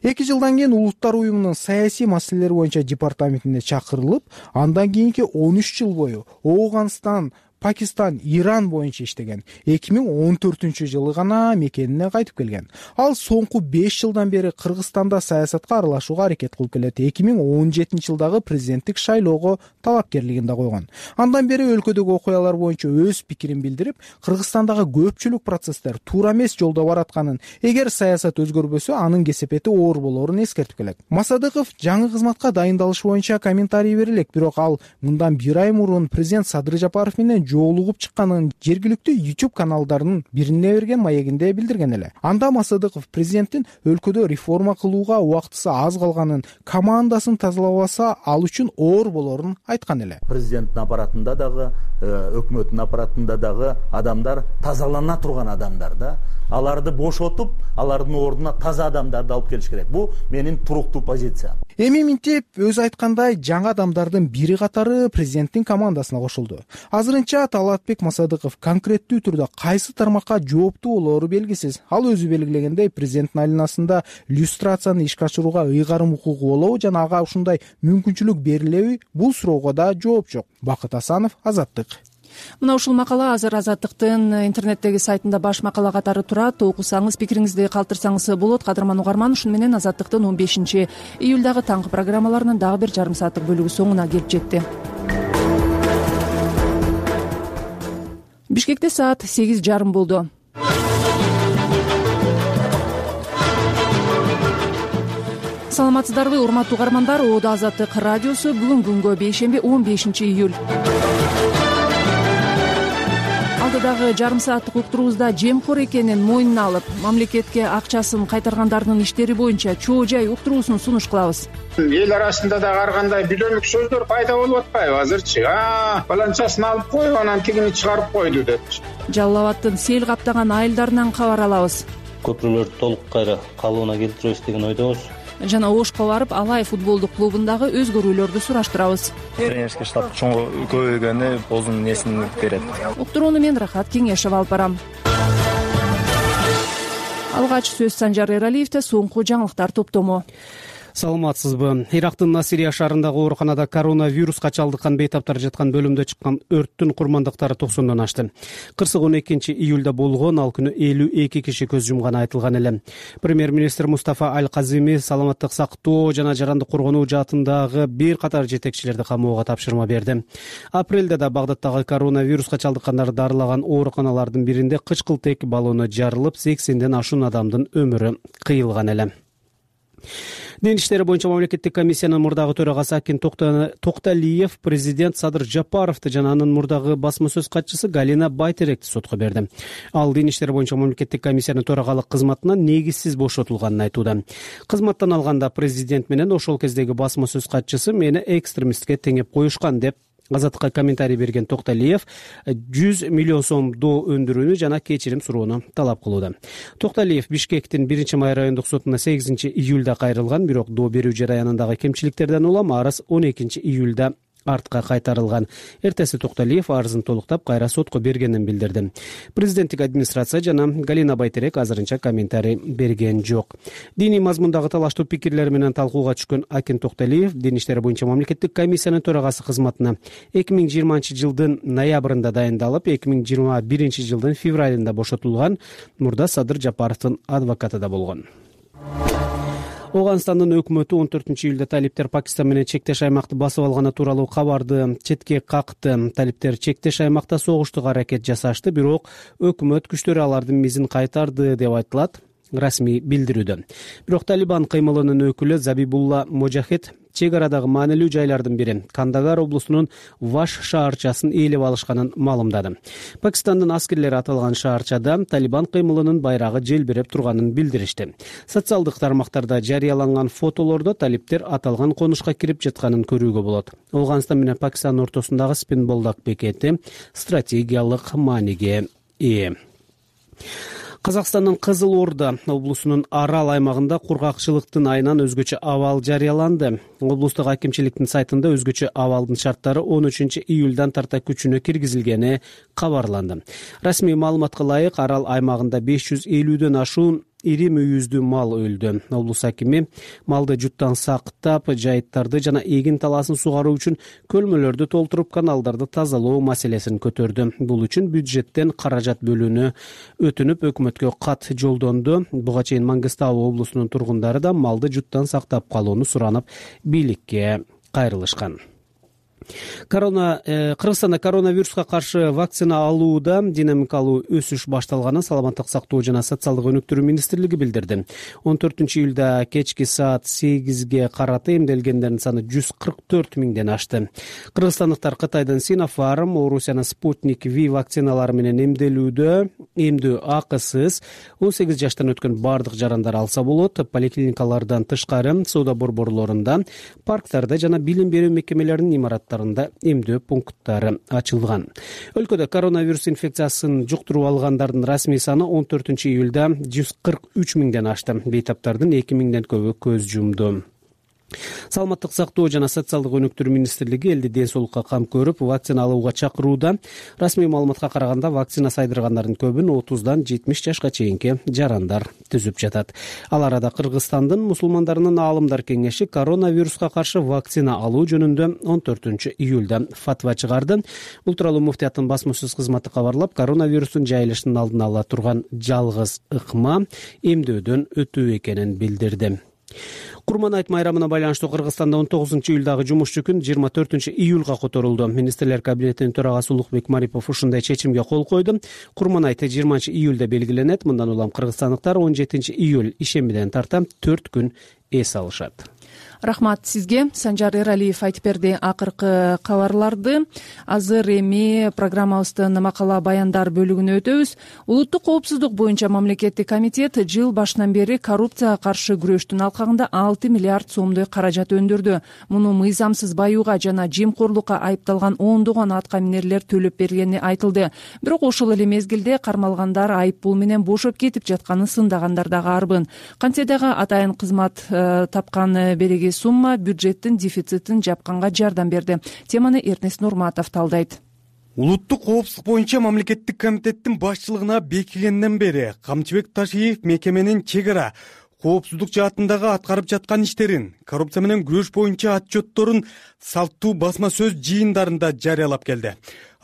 2 жылдан кийин Улуттар уюмунун саясий маселелер боюнча департаментине чакырылып, андан кийинки 13 жыл бою Ооганстан, Пакистан, Иран боюнча иштеген. 2014 жылы гана мекенине кайтып келген. Ал соңку 5 жылдан бери Кыргызстанда саясатка аралашууга аракет кылып келет. 2017 жылдагы президенттик шайлоого талапкерлигин да койгон. Андан бери өлкөдөгү окуялар боюнча өз пикирин билдирип, Кыргызстандагы көпчүлүк процесстер туура эмес жолдо баратканын, эгер саясат өзгөрбөсө, анын кесепети оор болорун эскертип келет. Масадыков жаңы кызматка дайындалыш боюнча комментарий берилек, бирок ал мындан 1 ай мурун президент Садыр Жапаров менен жолугуп чыкканын жергиликтүү YouTube каналдарынын бирине берген маегинде билдирген эле. Анда Масадыков президенттин өлкөдө реформа кылууга убактысы аз калганын, командасын тазалабаса ал үчүн оор болорун айткан эле. Президенттин аппаратында дагы, өкмөттүн аппаратында дагы адамдар тазалана турган адамдар да. Аларды бошотуп, алардын ордуна таза адамдарды алып келиш керек. Бул менин туруктуу позициям. Эми минтип өзү айткандай жаңы адамдардын бири катары президенттин командасына кошулду. Азырынча Талатбек Масадыков конкреттүү түрдө кайсы тармакка жооптуу болоору белгисиз. Ал өзү белгилегендей президенттин айланасында люстрацияны ишке ашырууга ыйгарым укугу болобу жана ага ушундай мүмкүнчүлүк берилеби? Бул суроого да жооп жок. Бакыт Асанов, Азаттык. Мына ушул макала азыр Азаттыктын интернеттеги сайтында баш макала катары турат. Окусаңыз, пикириңизди калтырсаңыз болот. Кадырман угарман, ушуну менен Азаттыктын 15-июлдагы таңкы программаларынын дагы бир жарым сааттык бөлүгү соңуна келип жетти. Бишкекте саат 8:30 болду. Саламатсыздарбы, урматтуу угармандар? Оодо Азаттык радиосу бүгүн күнгө бейшемби 15-июль. Алдыдагы жарым сааттык уктуруубузда жемкор экенин мойнуна алып, мамлекетке акчасын кайтаргандардын иштери боюнча чоо жай уктуруусун сунуш кылабыз. Эл арасында дагы ар кандай бүлөнүк сөздөр пайда болуп атпайбы азырчы? Баланчасын алып коюп, анан тигини чыгарып койду депчи. Жалал Абадтын сел каптаган айылдарынан кабар алабыз. Көпүрөлөрдү толук кайра калыбына келтиребиз деген ойдобуз. Жана Ошко барып Алай футболдук клубундагы өзгөрүүлөрдү сураштырабыз. Тренерский штаб чоң көбөйгөнү бозун несин берет. Уктурууну мен Рахат Кеңешев алып барам. Алгач сөз Санжар Эралиевде, соңку жаңылыктар топтому. Саламатсызбы? Ирактын Насирия шаарындагы ооруканада коронавируска чалдыккан бейтаптар жаткан бөлүмдө чыккан өрттүн курмандыктары 90дон ашты. Кырсык 12-июлда болгон, ал күнү 52 киши көз жумганы айтылган эле. Премьер-министр Мустафа Аль-Казими саламаттык сактоо жана жарандык коргонуу жаатындагы бир катар жетекчилерди камоого тапшырма берди. Апрелде да Багдадтагы коронавируска чалдыккандарды дарылаган ооруканалардын биринде кычкылтек баллону жарылып, 80ден ашуун адамдын өмүрү кыйылган эле. Дин иштери боюнча мамлекеттик комиссиянын мурдагы төрагасы Акин Токталиев президент Садыр Жапаровду жана анын мурдагы басма сөз катчысы Галина Байтеректи сотко берди. Ал дин иштери боюнча мамлекеттик комиссиянын төрагалык кызматынан негизсиз бошотулганын айтууда. Кызматтан алганда президент менен ошол кездеги басма сөз катчысы мени экстремистке теңеп коюшкан деп Азаттыкка комментарий берген Токталиев 100 миллион сомдоо өндүрүүнү жана кечирим суроону талап кылууда. Токталиев Бишкектин 1-май райондук сотуна 8-июлда кайрылган, бирок доо берүү жараянындагы кемчиликтерден улам арыз 12-июлда артка кайтарылган. Эртеси Токталиев арызын толуктап кайра сотко бергенин билдирди. Президенттик администрация жана Галина Байтерек азырынча комментарий берген жок. Диний мазмундагы талаштуу пикирлер менен талкууга түшкөн Акин Токталиев дин иштери боюнча мамлекеттик комиссиянын төрагасы кызматына 2020-жылдын ноябрында дайындалып, 2021-жылдын февралында бошотулган, мурда Садыр Жапаровдун адвокаты да болгон. Оганстандын өкмөтү 14-июлда талиптер Пакистан менен чектеш аймакты басып алганы тууралуу кабарды четке какты. Талиптер чектеш аймакта согуштук аракет жасашты, бирок өкмөт күчтөрү алардын мизин кайтарды деп айтылат расмий билдирүүдө. Бирок Талибан кыймылынын өкүлү Забибулла Можахед чек арадагы маанилүү жайлардын бири Кандагар облусунун Ваш шаарчасын ээлеп алышканын маалымдады. Пакистандын аскерлери аталган шаарчада Талибан кыймылынын байрагы желбиреп турганын билдиришти. Социалдык тармактарда жарыяланган фотолордо талиптер аталган конушка кирип жатканын көрүүгө болот. Оганстан менен Пакистан ортосундагы Спинболдак бекети стратегиялык мааниге ээ. Казакстандын Кызыл Орда облусунун Арал аймагында кургакчылыктын айынан өзгөчө абал жарыяланды. Облустук акимчиликтин сайтында өзгөчө абалдын шарттары 13-июлдан тарта күчүнө киргизилгени кабарланды. Расмий маалыматка ылайык, Арал аймагында 550дөн ашуун ири мүйүздүү мал өлдү. Облус акими малды жуттан сактап, жайыттарды жана эгин талаасын сугаруу үчүн көлмөлөрдү толтуруп, каналдарды тазалоо маселесин көтөрдү. Бул үчүн бюджеттен каражат бөлүүнү өтүнүп, өкмөткө кат жолдонду. Буга чейин Мангыстау облусунун тургундары да малды жуттан сактап калууну суранып, бийликке кайрылышкан. Кыргызстанда коронавируска каршы вакцина алууда динамикалуу өсүш башталганын Саламаттык сактоо жана социалдык өнүктүрүү министрлиги билдирди. 14-июлда кечки саат 8ге карата эмделгендердин саны 144 миңден ашты. Кыргызстандыктар Кытайдын Sinopharm, Орусиянын Sputnik V вакциналары менен эмдөө акысыз 18 жаштан өткөн бардык жарандар алса болот. Поликлиникалардан тышкары соода борборлорунда, парктарда жана билим берүү мекемелеринин имараттарында эмдөө пункттары ачылган. Өлкөдө коронавирус инфекциясын жуктуруп алгандардын расмий саны 14-июлда 143 миңден ашты. Бейтаптардын 2 миңден көбү көз жумду. Саламаттык сактоо жана социалдык өнүктүрүү министрлиги элди ден соолукка кам көрүп вакцина алууга чакырууда. Расмий маалыматка караганда вакцина сайдыргандардын көбүн 30дан 70 жашка чейинки жарандар түзүп жатат. Ал арада Кыргызстандын мусулмандарынын аалымдар кеңеши коронавируска каршы вакцина алуу жөнүндө 14 июлда фатва чыгарды. Бул тууралуу муфтияттын басма сөз кызматы кабарлап, коронавирустун жайылышынын алдын ала турган жалгыз ыкма эмдөөдөн өтүү экенин билдирди. Курман айт майрамына байланыштуу Кыргызстанда 19 июлдагы жумушчу күн 24 июлга которулду. Министрлер кабинетинин төрагасы Улукбек Марипов ушундай чечимге кол койду. Курман айты 20 июлда белгиленет. Мындан улам кыргызстандыктар 17 июль ишембиден тарта 4 күн эс алышат. Рахмат сизге. Санжар Эралиев айтып берди акыркы кабарларды. Азыр эми программабыздын макала баяндар бөлүгүнө өтөбүз. Улуттук коопсуздук боюнча мамлекеттик комитет жыл башынан бери коррупцияга каршы күрөштүн алкагында 6 миллиард сомдой каражат өндүрдү. Муну мыйзамсыз баюуга жана жемкорлукка айыпталган ондогон атка минерлер төлөп бергени айтылды. Бирок ошол эле мезгилде кармалгандар айып пул менен бошоп кетип жатканын сындагандар дагы арбын. Кантсе дагы атайын кызмат тапкан береги сумма бюджеттин дефицитин жапканга жардам берди. Теманы Эрнест Нурматов талдайт. Улуттук коопсуздук боюнча мамлекеттик комитеттин башчылыгына бекигенден бери Камчыбек Ташиев мекеменин чек ара коопсуздук жаатындагы аткарып жаткан иштерин, коррупция менен күрөш боюнча отчетторун салттуу басма сөз жыйындарында жарыялап келди.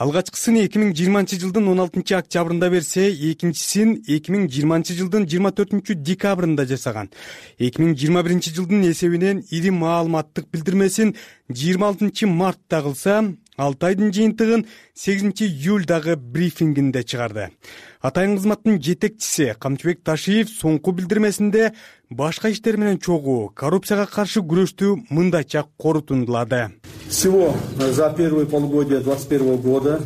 Алгачкысын 2020 жылдын 16 октябрында берсе, экинчисин 2020 жылдын 24 декабрында жасаган. 2021 жылдын эсебинен ири маалыматтык билдирмесин 26 мартта кылса, 6 айдын жыйынтыгын 8 июлдагы брифингинде чыгарды. Атайын кызматтын жетекчиси Камчыбек Ташиев соңку билдирмесинде башка иштер менен чогуу коррупцияга каршы күрөштү мындайча корутундулады. Всего за первое полугодие 2021 года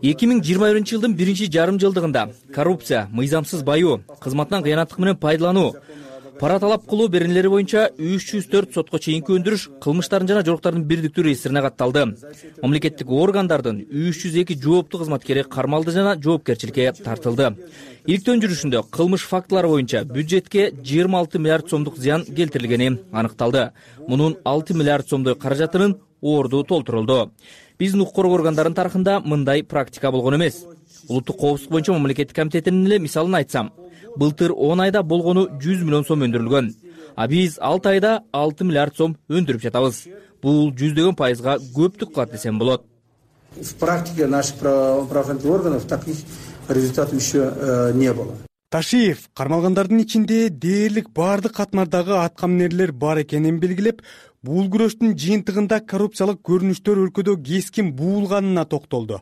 2021 жылдын биринчи жарым жылдыгында коррупция, мыйзамсыз баюу, кызматтан кыянаттык менен пайдалануу, пара талап кылуу беренелери боюнча 304 сотко чейинки өндүрүш кылмыштардын жана жоруктардын бирдиктүү реестрине катталды. Мамлекеттик органдардын 302 жооптуу кызматкери кармалды жана жоопкерчиликке тартылды. Иликтөө жүрүшүндө кылмыш фактылары боюнча бюджетке 26 миллиард сомдук зыян келтирилгени аныкталды. Мунун 6 миллиард сомдой каражатынын орду толтурулду. Биздин укук коргоо органдарынын тарыхында мындай практика болгон эмес. Улуттук коопсуздук боюнча мамлекеттик комитетинин эле мисалын айтсам, былтыр 10 айда болгону 100 миллион сом өндүрүлгөн. А биз 6 айда 6 миллиард сом өндүрүп жатабыз. Бул 100 пайызга көптүк кылат десем болот. В практике наших правоохранительных органов таких результатов еще не было. Ташиев кармалгандардын ичинде дээрлик баардык катмардагы атка минерлер бар экенин белгилеп, бул күрөштүн жыйынтыгында коррупциялык көрүнүштөр өлкөдө кескин буулганына токтолду.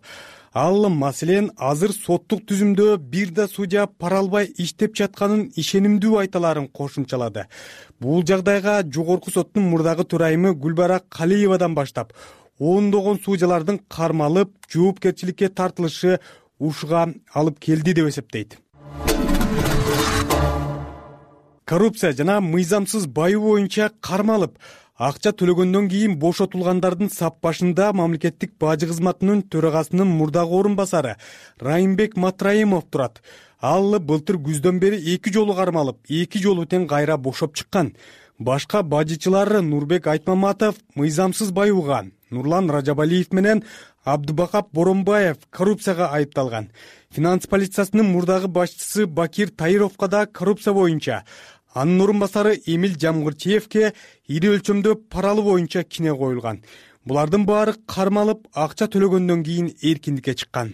Ал маселен азыр соттук түзүмдө бир да судья пара албай иштеп жатканын ишенимдүү айталарын кошумчалады. Бул жагдайга жогорку соттун мурдагы төрайымы Гүлбара Калиевадан баштап ондогон судьялардын кармалып, жоопкерчиликке тартылышы ушуга алып келди деп эсептейт. Коррупция жана мыйзамсыз баюу боюнча кармалып, акча төлөгөндөн кийин бошотулгандардын сап башында мамлекеттик бажы кызматынын төрагасынын мурдагы орун басары Райымбек Матраимов турат. Ал былтыр күздөн бери 2 жолу кармалып, 2 жолу тең кайра бошоп чыккан. Башка бажычылар Нурбек Айтмаматов мыйзамсыз баюуга, Нурлан Ражабалиев менен Абдубакап Боронбаев коррупцияга айыпталган. Финанс полициясынын мурдагы башчысы Бакир Таировго да коррупция боюнча, анын орун басары Эмил Жамгырчиевке ири өлчөмдө паралуу боюнча кине коюлган. Булардын баары кармалып, акча төлөгөндөн кийин эркиндикке чыккан.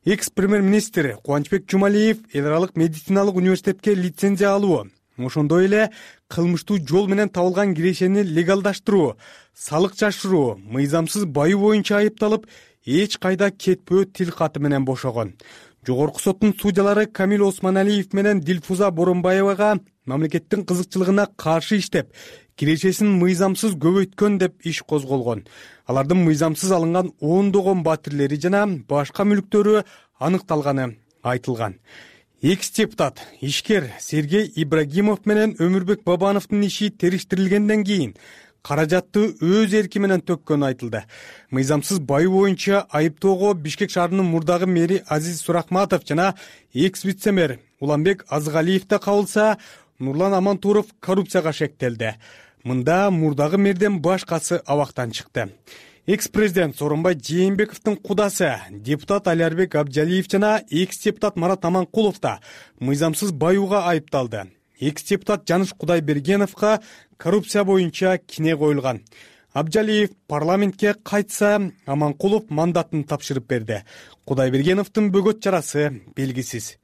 Экс-премьер-министр Кубанычбек Жумалиев эл аралык медициналык университетке лицензия алуу, ошондой эле кылмыштуу жол менен табылган кирешени легалдаштыруу, салык жашыруу, мыйзамсыз баюу боюнча айыпталып, эч кайда кетпөө тил каты менен бошогон. Жогорку соттун судьялары Камил Осмоналиев менен Дилфуза Боронбаевага мамлекеттин кызыкчылыгына каршы иштеп, кирешесин мыйзамсыз көбөйткөн деп иш козголгон. Алардын мыйзамсыз алынган ондогон батирлери жана башка мүлктөрү аныкталганы айтылган. Экс-депутат, ишкер Сергей Ибрагимов менен Өмүрбек Бабановдун иши териштирилгенден кийин каражатты өз эрки менен төккөнү айтылды. Мыйзамсыз баюу боюнча айыптоого Бишкек шаарынын мурдагы мэри Азиз Сурахматов жана экс-вице-мэр Уланбек Азгалиев да кабылса, Нурлан Амантуров коррупцияга шектелди. мында мурдагы мэрден башкасы абактан чыкты. Экс-президент Сооронбай Жээнбековдун кудасы депутат Алиарбек Абджалиев жана экс-депутат Марат Аманкулов да мыйзамсыз баюуга айыпталды. Экс-депутат Жаныш Кудайбергеновго коррупция боюнча кине коюлган. Абджалиев парламентке кайтса, Аманкулов мандатын тапшырып берди. Кудайбергеновдун бөгөт жарасы белгисиз.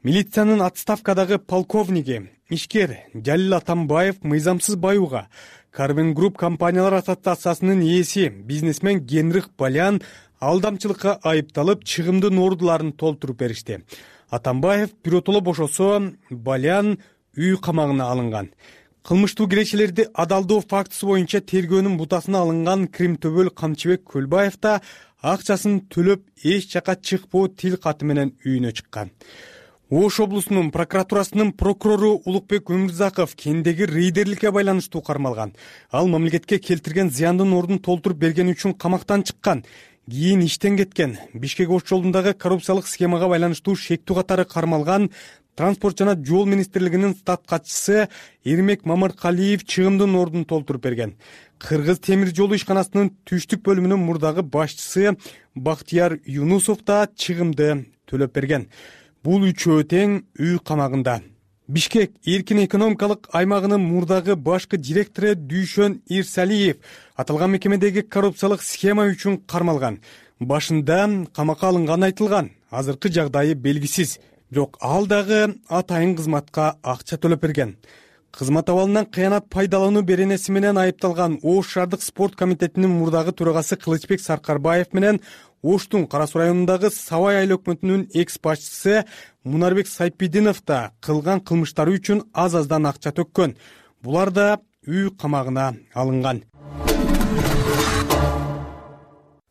Милициянын отставкадагы полковниги, ишкер Жалил Атамбаев мыйзамсыз баюуга Карбен Групп компаниялар ассоциациясынын ээси бизнесмен Генрих Балян алдамчылыкка айыпталып, чыгымдын ордуларын толтуруп беришти. Атамбаев биротоло бошосо, Балян үй камагына алынган. Кылмыштуу кирешелерди адалдоо фактысы боюнча тергөөнүн бутасына алынган Кримтөбөл Камчыбек Көлбаев да акчасын төлөп эч жака чыкпоо тил каты менен үйүнө чыккан. Ош облусунун прокуратурасынын прокурору Улукбек Өмүрзаков кендеги рейдерликке байланыштуу кармалган. Ал мамлекетке келтирген зыяндын ордун толтуруп бергени үчүн камактан чыккан. Кийин иштен кеткен. Бишкек Ош жолундагы коррупциялык схемага байланыштуу шектүү катары кармалган Транспорт жана жол министрлигинин штат катчысы Эрмек Мамыркалиев чыгымдын ордун толтуруп берген. Кыргыз темир жолу ишканасынын түштүк бөлүмүнүн мурдагы башчысы Бактияр Юнусов да чыгымды төлөп берген. Бул үчөө тең үй камагында. Бишкек эркин экономикалык аймагынын мурдагы башкы директору Дүйшөн Ирсалиев аталган мекемедеги коррупциялык схема үчүн кармалган. Башында камакка алынганы айтылган. Азыркы жагдайы белгисиз. Жок, ал дагы атайын кызматка акча төлөп берген. Кызмат абалынан кыянат пайдалануу беренеси менен айыпталган Ош шаардык спорт комитетинин мурдагы төрагасы Кылычбек Саркарбаев менен Оштун Кара Суу районундагы Сабай айыл өкмөтүнүн экс-башчысы Мунарбек Сайпидинов да кылган кылмыштары үчүн аз-аздан акча төккөн. Булар да үй камагына алынган.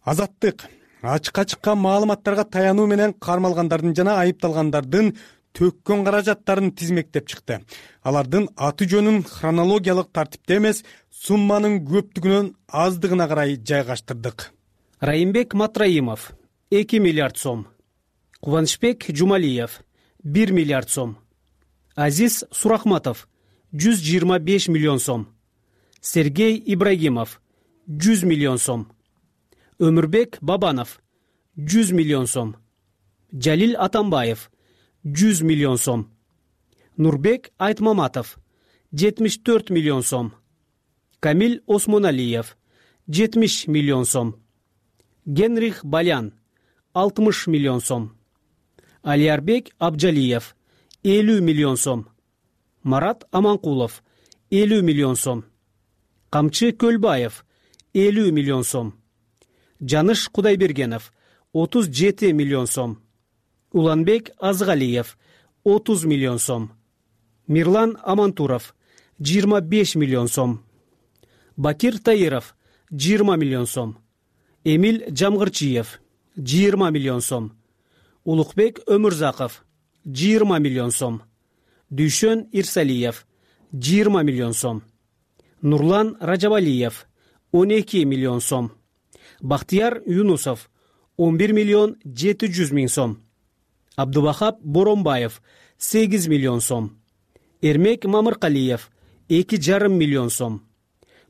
Азаттык ачыкка чыккан маалыматтарга таянуу менен кармалгандардын жана айыпталгандардын төккөн каражаттарын тизмектеп чыкты. Алардын аты жөнүн хронологиялык тартипте эмес, сумманын көптүгүнөн аздыгына карай жайгаштырдык. Райымбек Матраимов 2 миллиард сом, Кубанычбек Жумалиев 1 миллиард сом, Азиз Сурахматов 125 миллион сом, Сергей Ибрагимов 100 миллион сом, Өмүрбек Бабанов 100 миллион сом, Жалил Атамбаев 100 миллион сом, Нурбек Айтмаматов 74 миллион сом, Камил Осмоналиев 70 миллион сом, Генрих Балян 60 миллион сом, Алиарбек Абджалиев 50 миллион сом, Марат Аманкулов 50 миллион сом, Камчы Көлбаев 50 миллион сом, Жаныш Кудайбергенов 37 миллион сом, Уланбек Азгалиев 30 миллион сом, Мирлан Амантуров 25 миллион сом, Бакир Таиров 20 миллион сом, Эмил Жамгырчиев 20 миллион сом, Улукбек Өмүрзаков 20 миллион сом, Дүйшөн Ирсалиев 20 миллион сом, Нурлан Ражабалиев 12 миллион сом, Бактияр Юнусов 11 миллион 700 миң сом, Абдубахап Боронбаев 8 миллион сом, Эрмек Мамыркалиев 2,5 миллион сом,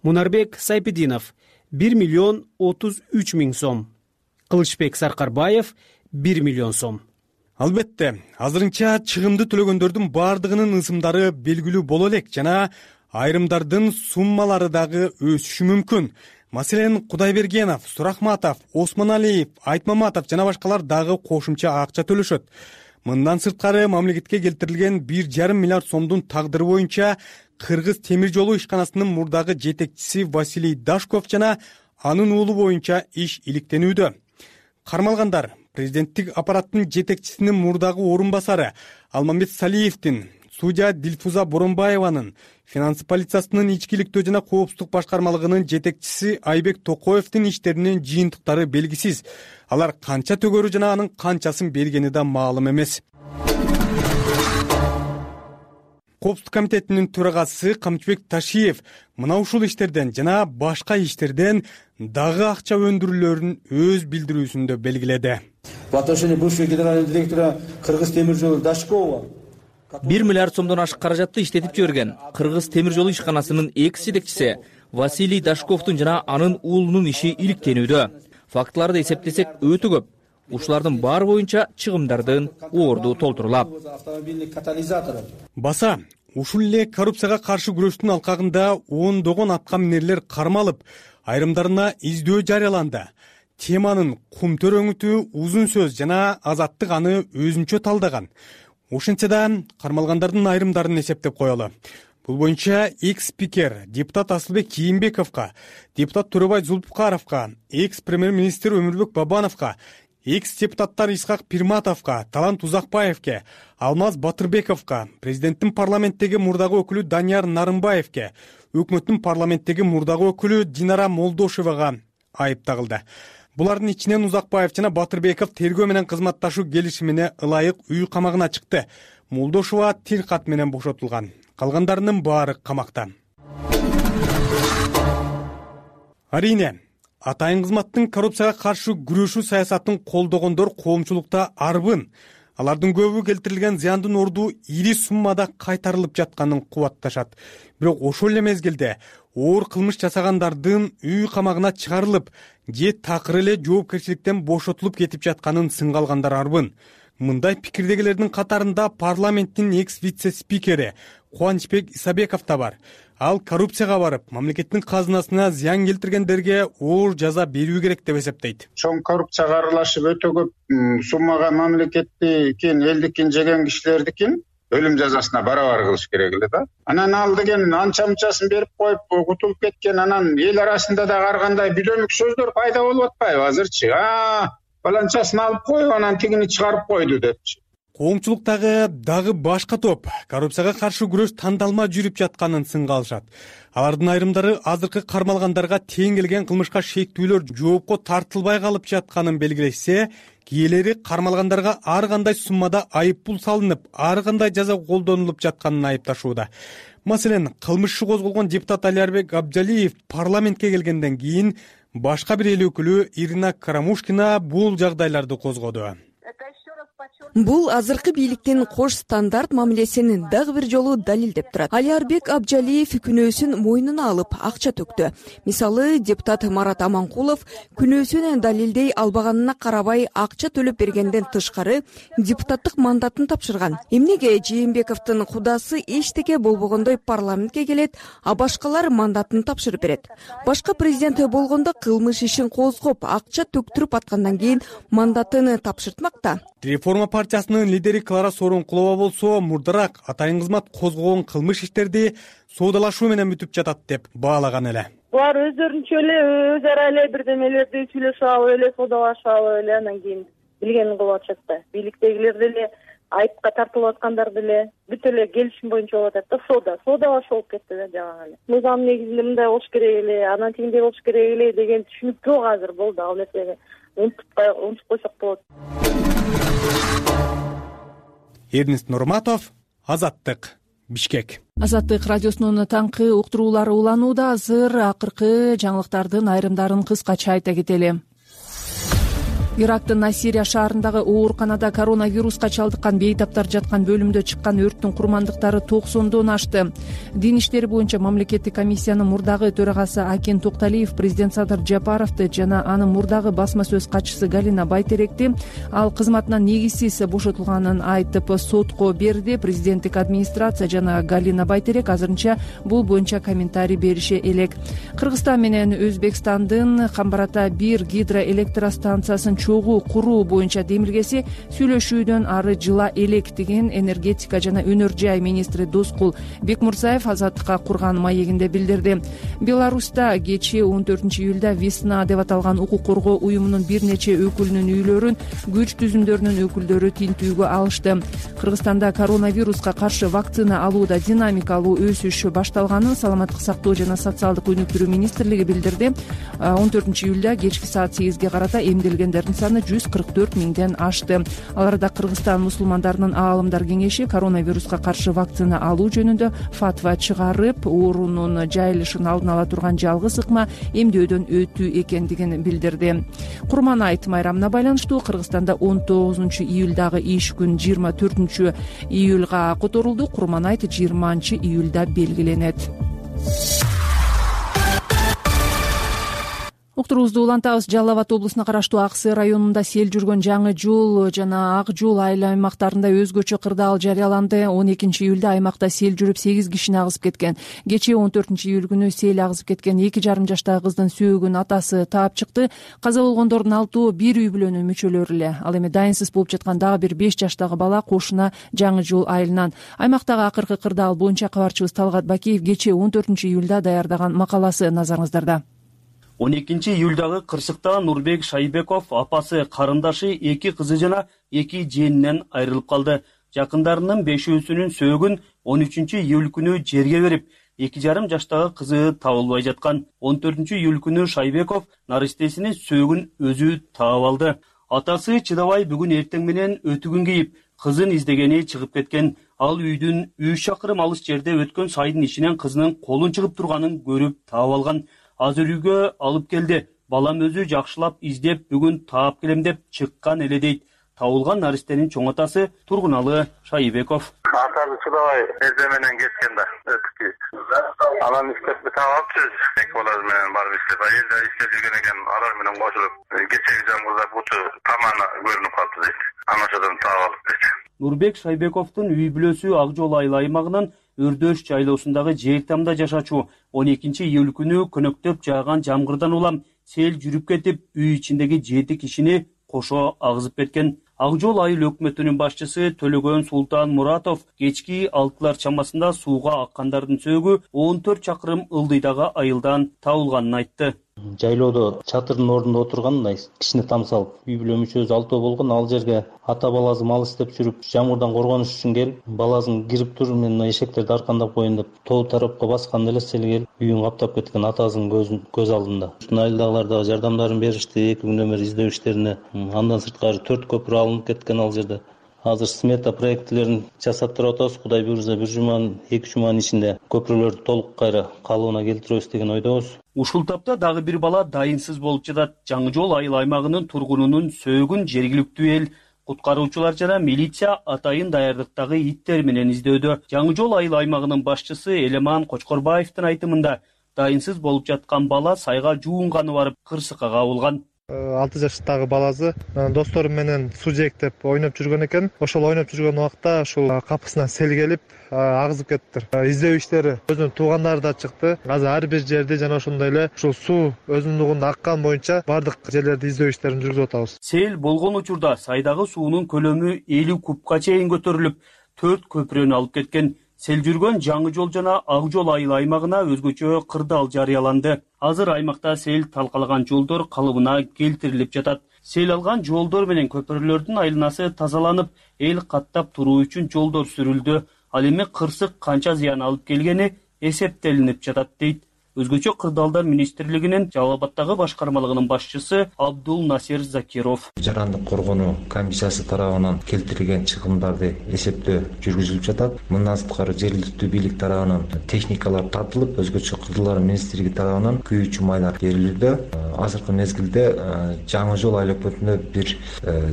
Мунарбек Сайпидинов 1 миллион 33 миң сом, Кылычбек Саркарбаев 1 миллион сом. Албетте, азырынча чыгымды төлөгөндөрдүн баардыгынын ысымдары белгилүү боло элек жана айрымдардын суммалары дагы өсүшү мүмкүн. Маселен, Кудайбергенов, Сурахматов, Осмоналиев, Айтмаматов жана башкалар дагы кошумча акча төлөшөт. Мындан сырткары мамлекетке келтирилген 1,5 миллиард сомдун тагдыры боюнча Кыргыз темир жолу ишканасынын мурдагы жетекчиси Василий Дашков жана анын уулу боюнча иш иликтенүүдө. Кармалгандар президенттик аппараттын жетекчисинин мурдагы орун басары Алмамбет Салиевдин, судья Дилфуза Боронбаеванын, финансы полициясынын ичкиликтөө жана коопсуздук башкармалыгынын жетекчиси Айбек Токоевдин иштеринин жыйынтыктары белгисиз. Алар канча төгөрү жана анын канчасын бергени да маалым эмес. Коопсуздук комитетинин төрагасы Камчыбек Ташиев мына ушул иштерден жана башка иштерден дагы акча өндүрүүлөрүн өз билдирүүсүндө белгиледи. В отношении бывшего генерального директора Кыргыз темир жолу Дашкова 1 миллиард сомдон ашык каражатты иштетип жиберген Кыргыз темир жолу ишканасынын экс жетекчиси Василий Дашковдун жана анын уулунун иши иликтенүүдө. Фактыларды эсептесек өтө көп. Ушулардын баары боюнча чыгымдардын орду толтурулат. Баса ушул эле коррупцияга каршы күрөштүн алкагында ондогон атка минерлер кармалып, айрымдарына издөө жарыяланды. Теманын кумтөрөңүтү узун сөз жана Азаттык аны өзүнчө талдаган. Ошентсе да кармалгандардын айрымдарын эсептеп коелу. Бул боюнча экс-спикер депутат Асылбек Кийимбековго, депутат Төрөбай Зулпукаровго, экс-премьер-министр Өмүрбек Бабановго, экс-депутаттар Исхак Пирматовго, Талант Узакбаевге, Алмаз Батырбековго, президенттин парламенттеги мурдагы өкүлү Данияр Нарымбаевге, өкмөттүн парламенттеги мурдагы өкүлү Динара Молдошевага айып тагылды. Булардын ичинен Узакбаев жана Батырбеков тергөө менен кызматташуу келишимине ылайык үй камагына чыкты. Молдошева тил кат менен бошотулган. Калгандарынын баары камакта. Арине, атайын кызматтын коррупцияга каршы күрөшүү саясатын колдогондор коомчулукта арбын. Алардын көбү келтирилген зыяндын орду ири суммада кайтарылып жатканын кубатташат. Бирок ошол эле мезгилде оор кылмыш жасагандардын үй камагына чыгарылып, же такыр эле жоопкерчиликтен бошотулуп кетип жатканын сынга алгандар арбын. Мындай пикирдегилердин катарында парламенттин экс-вице-спикери Кубанычбек Исабеков да бар. Ал коррупцияга барып, мамлекеттин казынасына зыян келтиргендерге оор жаза берүү керек деп эсептейт. Чоң коррупцияга аралашып өтө көп суммага мамлекеттикин, элдикин жеген кишилердикин өлүм жазасына барабар кылыш керек эле да. Анан ал деген анча мынчасын берип коюп кутулуп кеткен, анан эл арасында да ар кандай бүлөнүк сөздөр пайда болуп атпайбы азырчы? Баланчасын алып коюп, анан тигини чыгарып койду депчи. Коомчулуктагы дагы башка топ коррупцияга каршы күрөш тандалма жүрүп жатканын сынга алышат. Алардын айрымдары азыркы кармалгандарга тең келген кылмышка шектүүлөр жоопко тартылбай калып жатканын белгилешсе, кийинелери кармалгандарга ар кандай суммада айып пул салынып, ар кандай жаза колдонулуп жатканын айыпташууда. Маселен, кылмыш иши козголгон депутат Алиарбек Абджалиев парламентке келгенден кийин башка бир эл өкүлү Ирина Карамушкина бул жагдайларды козгоду. Бул азыркы бийликтин кош стандарт мамилесин дагы бир жолу далилдеп турат. Алиарбек Абджалиев күнөөсүн мойнуна алып акча төктү. Мисалы, депутат Марат Аманкулов күнөөсүн далилдей албаганына карабай акча төлөп бергенден тышкары депутаттык мандатын тапшырган. Эмнеге Жээнбековдун кудасы эчтеке болбогондой парламентке келет, а башкалар мандатын тапшырып берет? Башка президент болгондо кылмыш ишин козгоп, акча төктүрүп аткандан кийин мандатын тапшыртмак да. Реформа партиясынын лидери Клара Сооронкулова болсо мурдараак атайын кызмат козгогон кылмыш иштерди соодалашуу менен бүтүп жатат деп баалаган эле. Булар өздөрүнчө эле өз ара эле бирдемелерди сүйлөшүп алып эле соодалашып алып эле анан кийин билгенин кылып атышат да. Бийликтегилер деле айыпка тартылып аткандар деле бүт эле келишим боюнча болуп атат да, соодалашуу болуп кетти да жагы эле. Мыйзам негизинде мындай болуш керек эле, анан тигиндей болуш керек эле деген түшүнүк жок азыр болду. Ал нерсени унутуп койсок болот. Эрнест Нурматов, Азаттык, Бишкек. Азаттык радиосунун таңкы уктуруулары уланууда. Азыр акыркы жаңылыктардын айрымдарын кыскача айта кетели. Ирактын Насирия шаарындагы ооруканада коронавируска чалдыккан бейтаптар жаткан бөлүмдө чыккан өрттүн курмандыктары 90дон ашты. Дин иштери боюнча мамлекеттик комиссиянын мурдагы төрагасы Акин Токталиев президент Садыр Жапаровду жана анын мурдагы басма сөз катчысы Галина Байтеректи ал кызматынан негизсиз бошотулганын айтып сотко берди. Президенттик администрация жана Галина Байтерек азырынча бул боюнча комментарий берише элек. Кыргызстан менен Өзбекстандын Камбарата 1 гидроэлектростанциясын чогуу куруу боюнча демилгеси сүйлөшүүдөн ары жыла элек деген энергетика жана өнөр жай министри Доскул Бекмурзаев Азаттыкка курган маегинде билдирди. Беларуста кечээ 14-июлда Весна деп аталган укук коргоо уюмунун бир нече өкүлүнүн үйлөрүн күч түзүмдөрүнүн өкүлдөрү тинтүүгө алышты. Кыргызстанда коронавируска каршы вакцина алууда динамикалуу өсүш башталганын Саламаттык сактоо жана социалдык өнүктүрүү министрлиги билдирди. 14-июлда кечки саат 8ге карата эмделгендердин өлгөндөрдүн саны 144 миңден ашты. Аларда Кыргызстан мусулмандарынын аалымдар кеңеши коронавируска каршы вакцина алуу жөнүндө фатва чыгарып, оорунун жайылышын алдын ала турган жалгыз ыкма эмдөөдөн өтүү экендигин билдирди. Курманайт майрамына байланыштуу Кыргызстанда 19 июлдагы иш күн 24 июлга которулду. Курманайт 20 июлда белгиленет. Уктуруубузду улантабыз. Жалал Абад облусуна караштуу Ак Сый районунда сел жүргөн Жаңы жол жана Ак жол айыл аймактарында өзгөчө кырдаал жарыяланды. 12 июлда аймакта сел жүрүп 8 кишини агызып кеткен. Кечээ 14 июль күнү сел агызып кеткен 2,5 жаштагы кыздын сөөгүн атасы таап чыкты. Каза болгондордун 6-ы бир үй бүлөнүн мүчөлөрү эле. Ал эми дайынсыз болуп жаткан дагы бир 5 жаштагы бала кошуна Жаңы жол айылынан. Аймактагы акыркы кырдаал боюнча кабарчыбыз Талгат Бакиев кечээ 14 июлда даярдаган макаласы назарыңыздарда. 12 июлдагы кырсыкта Нурбек Шайбеков апасы, карындашы, 2 кызы жана 2 жээнинен айрылып калды. Жакындарынын 5-өсүнүн сөөгүн 13 июль күнү жерге берип, 2,5 жаштагы кызы табылбай жаткан. 14 июль күнү Шайбеков наристесинин сөөгүн өзү таап алды. Атасы чыдабай бүгүн эртең менен өтүгүн кийип, кызын издегени чыгып кеткен. Ал үйдүн 3 шакырым алыс жерде өткөн сайдын ичинен кызынын колун чыгып турганын көрүп таап алган. Азыр үйгө алып келди. Балам өзү жакшылап издеп, бүгүн таап келем деп чыккан эле дейт. Табылган наристенин чоң атасы Тургуналы Шайбеков. Атасы чыдабай эзе менен кеткен да, өтүккү. Анан иштеп таап алыпчыбыз. Эки баласы менен барып иштеп, айылда иштеп жүргөн экен, алар менен кошулуп, кечеги жамгырда буту таманы көрүнүп калды дейт. Анашадан таап алып дейт. Нурбек Шайбековдун үй бүлөсү Ак жол айыл аймагынын Өрдөш жайлоосундагы Жээлтамда жашачу. 12 июль күнү көнөктөп жааган жамгырдан улам сел жүрүп кетип, үй ичиндеги 7 кишини кошо агызып кеткен. Ак жол айыл өкмөтүнүн башчысы Төлөгөн Султан Муратов кечки 6-лар чамасында сууга аккандардын сөөгү 14 чакырым ылдыйдагы айылдан табылганын айтты. Жайлоодо чатырдын ордунда отурган мындай кичине там салып, үй бүлө мүчөсү 6 болгон. Ал жерге ата баласы мал издеп жүрүп, жамгырдан коргонуш үчүн келип, баласын кирип тур, мен эшектерди аркандап коеюн деп, тоо тарапка басканда эле сел келип, үйүн каптап кеткен атасынын көз алдында. Айылдагылар да жардамдарын беришти, 2 күндөр бери издөө иштерине. Андан сырткары 4 көпүрө алынып кеткен ал жерде. Азыр смета проектилерин жасап туруп атабыз. Кудай буйрса 1 жуманын 2 жуманын ичинде көпүрөлөрдү толук кайра калыбына келтиребиз деген ойдобуз. Ушул тапта дагы бир бала дайынсыз болуп жатат. Жаңы жол айыл аймагынын тургунунун сөөгүн жергиликтүү эл, куткаруучулар жана милиция атайын даярдыктагы иттер менен издөөдө. Жаңы жол айыл аймагынын башчысы Элеман Кочкорбаевдин айтымында, дайынсыз болуп жаткан бала сайга жуунганы барып кырсыкка кабылган. 6 жаштагы баласы достору менен суу жээктеп ойноп жүргөн экен. Ошол ойноп жүргөн убакта ушул капысынан сел келип агызып кетиптир. Издөө иштери өзүнүн туугандары да чыкты. Азыр ар бир жерде жана ошондой эле ушул суу өзүнүн аккан боюнча бардык жерлерде издөө иштерин жүргүзүп атабыз. Сел болгон учурда сайдагы суунун көлөмү 50 кубка чейин көтөрүлүп, 4 көпүрөнү алып кеткен. Сел жүргөн Жаңы жол жана Ак жол айыл аймагына өзгөчө кырдаал жарыяланды. Азыр аймакта сел талкалаган жолдор калыбына келтирилип жатат. Сел алган жолдор менен көпүрөлөрдүн айланасы тазаланып, эл каттап туруу үчүн жолдор сүрүлдү. Ал эми кырсык канча зыян алып келгени эсептелинип жатат дейт. Өзгөчө кырдаалдар министрлигинин Жалал Абаддагы башкармалыгынын башчысы Абдул Насир Закиров. Жарандык коргонуу комиссиясы тарабынан келтирилген чыгымдарды эсептөө жүргүзүлүп жатат. Мындан сырткары жергиликтүү бийлик тарабынан техникалар тартылып, өзгөчө кырдаалдар министрлиги тарабынан күйүүчү майлар берилүүдө. Азыркы мезгилде Жаңы жол айыл өкмөтүндө бир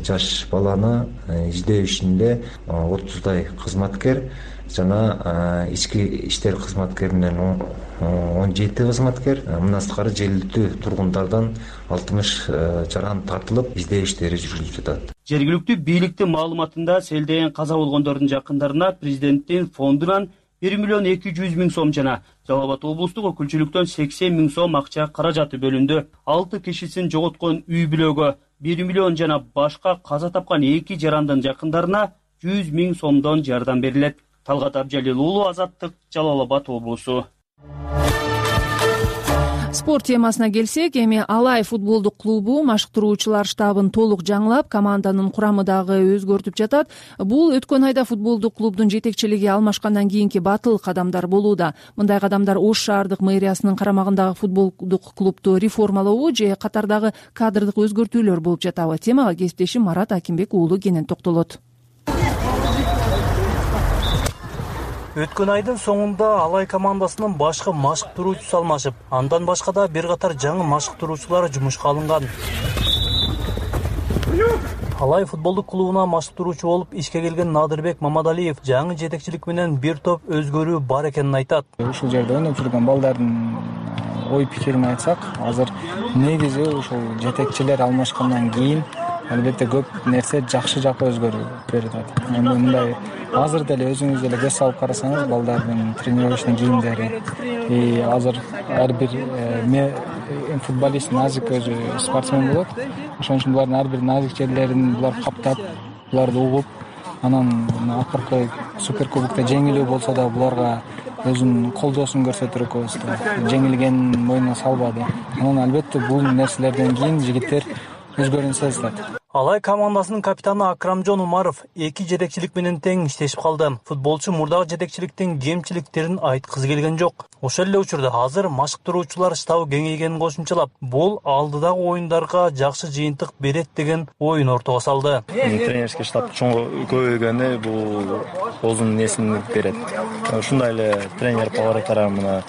жаш баланы издөө ишинде 30дай кызматкер жана ички иштер кызматкеринен 17 кызматкер, мындан сырткары жергиликтүү тургундардан 60 жаран тартылып, издөө иштери жүргүзүлүп жатат. Жергиликтүү бийликтин маалыматында селден каза болгондордун жакындарына президенттин фондунан 1,2 миллион сом жана Жалал Абад облустук өкүлчүлүктөн 80 000 сом акча каражаты бөлүндү. 6 кишисин жоготкон үй бүлөгө 1 миллион жана башка каза тапкан 2 жарандын жакындарына 100 000 сомдон жардам берилет. Талгат Абжалил уулу, Азаттык, Жалал Абад облусу. Спорт темасына келсек, эми Алай футболдук клубу машыктыруучулар штабын толук жаңылап, команданын курамы дагы өзгөртүп жатат. Бул өткөн айда футболдук клубдун жетекчилиги алмашкандан кийинки батыл кадамдар болууда. Мындай кадамдар Ош шаардык мэриясынын карамагындагы футболдук клубду реформалообу же катардагы кадрдык өзгөртүүлөр болуп жатабы? Темага кесиптешим Марат Акимбек уулу кенен токтолот. Өткөн айдын соңунда Алай командасынын башкы машыктыруучусу алмашып, андан башка да бир катар жаңы машыктыруучулар жумушка алынган. Алай футболдук клубуна машыктыруучу болуп ишке келген Надырбек Мамадалиев жаңы жетекчилик менен бир топ өзгөрүү бар экенин айтат. Ушул жерде ойноп жүргөн балдардын ой пикирин айтсак, азыр негизи ушул жетекчилер алмашкандан кийин албетте көп нерсе жакшы жакка өзгөрүп берет. Эми мындай азыр деле өзүңүз деле көз салып карасаңыз, балдардын тренировочный кийимдери, азыр ар бир футболист назик өзү спортсмен болот. Ошон үчүн булардын ар бир назик жерлерин булар каптап, буларды угуп, анан акыркы суперкубокто жеңилүү болсо да буларга өзүнүн колдоосун көрсөтүп койбузду. Жеңилген мойнуна салбады. Анан албетте бул нерселерден кийин жигиттер өзгөрүүнү сезет. Алай командасынын капитаны Акрамжон Умаров эки жетекчилик менен тең иштешип калды. Футболчу мурдагы жетекчиликтин кемчиликтерин айткысы келген жок. Ошол эле учурда азыр машыктыруучулар штабы кеңейгенин кошумчалап, бул алдыдагы оюндарга жакшы жыйынтык берет деген оюн ортого салды. Тренерский штаб чоң көбөйгөнү бул өзүнүн несин берет. Ушундай эле тренер повараттар мына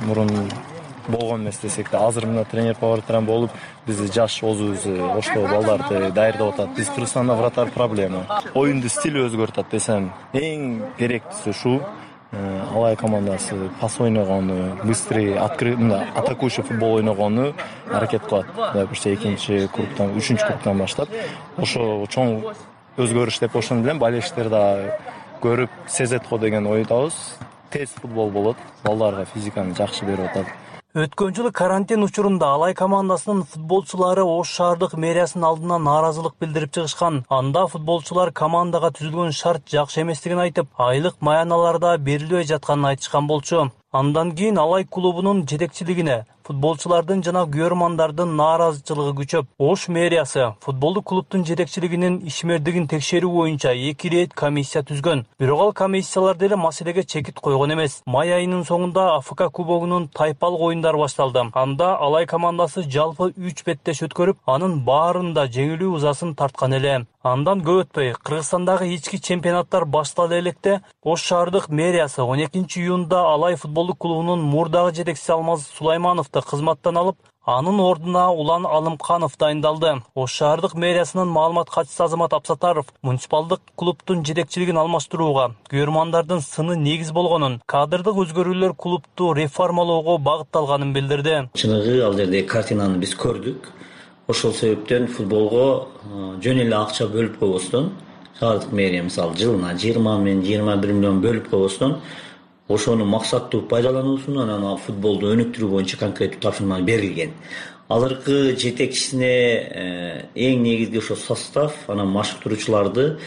мурун болгон эмес десек да, азыр мына тренер повараттар болуп, биз жаш өзүбүз ошто балдарды даярдап атат. Биз Кыргызстанда вратарь проблема. Оюнду стиль өзгөртөт десем, эң керектүүсү ушу. Алай командасы пас ойногону, быстрый, атакующий футбол ойногону аракет кылат. Допустим, экинчи кругтан, үчүнчү кругтан баштап, ошо чоң өзгөрүш деп ошону билем. Болельщиктер да көрүп сезет го деген ойдобуз. Тез футбол болот, балдарга физиканы жакшы берип атат. Өткөн жылы карантин учурунда Алай командасынын футболчулары Ош шаардык мэриясынын алдына нааразылык билдирип чыгышкан. Анда футболчулар командага түзүлгөн шарт жакшы эместигин айтып, айлык маяналарда берилбей жатканын айтышкан болчу. Андан кийин Алай клубунун жетекчилигине футболчулардын жана күйөрмандардын нааразычылыгы күчөп, Ош мэриясы футболдук клубдун жетекчилигинин ишмердигин текшерүү боюнча 2 рет комиссия түзгөн. Бирок ал комиссиялар деле маселеге чекит койгон эмес. Май айынын соңунда АФК кубогунун тайпалык оюндары башталды. Анда Алай командасы жалпы 3 беттеш өткөрүп, анын баарында жеңилүү ызасын тарткан эле. Андан көп өтпөй, Кыргызстандагы ички чемпионаттар баштала электе, Ош шаардык мэриясы 12 июнда Алай футболдук клубунун мурдагы жетекчиси Алмаз Сулаймановду кызматтан алып, анын ордуна Улан Алымканов дайындалды. Ош шаардык мэриясынын маалымат катчысы Азамат Апсатаров муниципалдык клубдун жетекчилигин алмаштырууга, күйөрмандардын сыны негиз болгонун, кадрдык өзгөрүүлөр клубду реформалоого багытталганын билдирди. Чыныгы ал жерде картинаны биз көрдүк. Ошол себептен футболго жөн эле акча бөлүп койбостон, шаардык мэрия мисалы жылына 20 мен 21 миллион бөлүп койбостон, ошону максаттуу пайдалануусун, анан футболду өнүктүрүү боюнча конкреттүү тапшырма берилген. Алыркы жетекчисине эң негизги ошо состав, анан машыктыруучуларды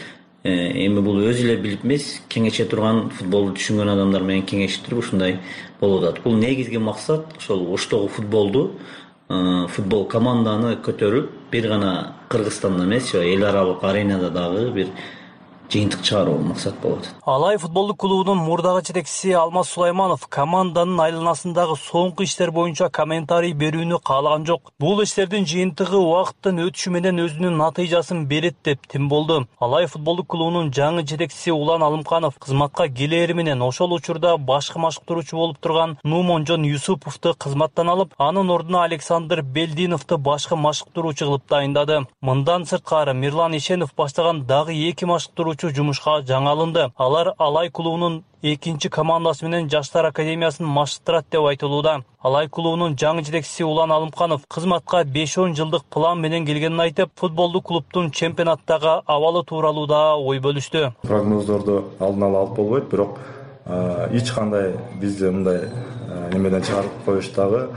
эми бул өзү эле билип эмес, кеңеше турган футболду түшүнгөн адамдар менен кеңештирип ушундай болуп атат. Бул негизги максат ошол Оштогу футбол команданы көтөрүп, бир гана Кыргызстанда эмес, эл аралык аренада дагы бир жыйынтык чыгаруу максат болот. Алай футболдук клубунун мурдагы жетекчиси Алмаз Сулайманов команданын айланасындагы соңку иштер боюнча комментарий берүүнү каалаган жок. Бул иштердин жыйынтыгы убакыттын өтүшү менен өзүнүн натыйжасын берет деп тим болду. Алай футболдук клубунун жаңы жетекчиси Улан Алымканов кызматка келери менен ошол учурда башкы машыктыруучу болуп турган Нумонжон Юсуповду кызматтан алып, анын ордуна Александр Белдиновду башкы машыктыруучу кылып дайындады. Мындан сырткары Мирлан Ишенов баштаган дагы 2 машыктыруучу жумушка жаңы алынды. Алар Алай клубунун экинчи командасы менен Жаштар академиясын машыктырат деп айтылууда. Алай клубунун жаңы жетекчиси Улан Алымканов кызматка 5-10 жылдык план менен келгенин айтып, футболдук клубдун чемпионаттагы абалы тууралуу да ой бөлүштү. Прогноздорду алдын ала алып болбойт, бирок эч кандай бизди мындай немеден чыгарып коюш дагы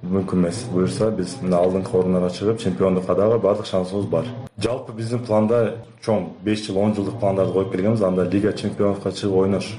мүмкүн эмес. Буюрса биз мына алдыңкы орундарга чыгып, чемпиондукка дагы бардык шансыбыз бар. Жалпы биздин планда чоң 5 жыл, 10 жылдык пландарды коюп келгенбиз. Анда Лига чемпионовка чыгып ойнош.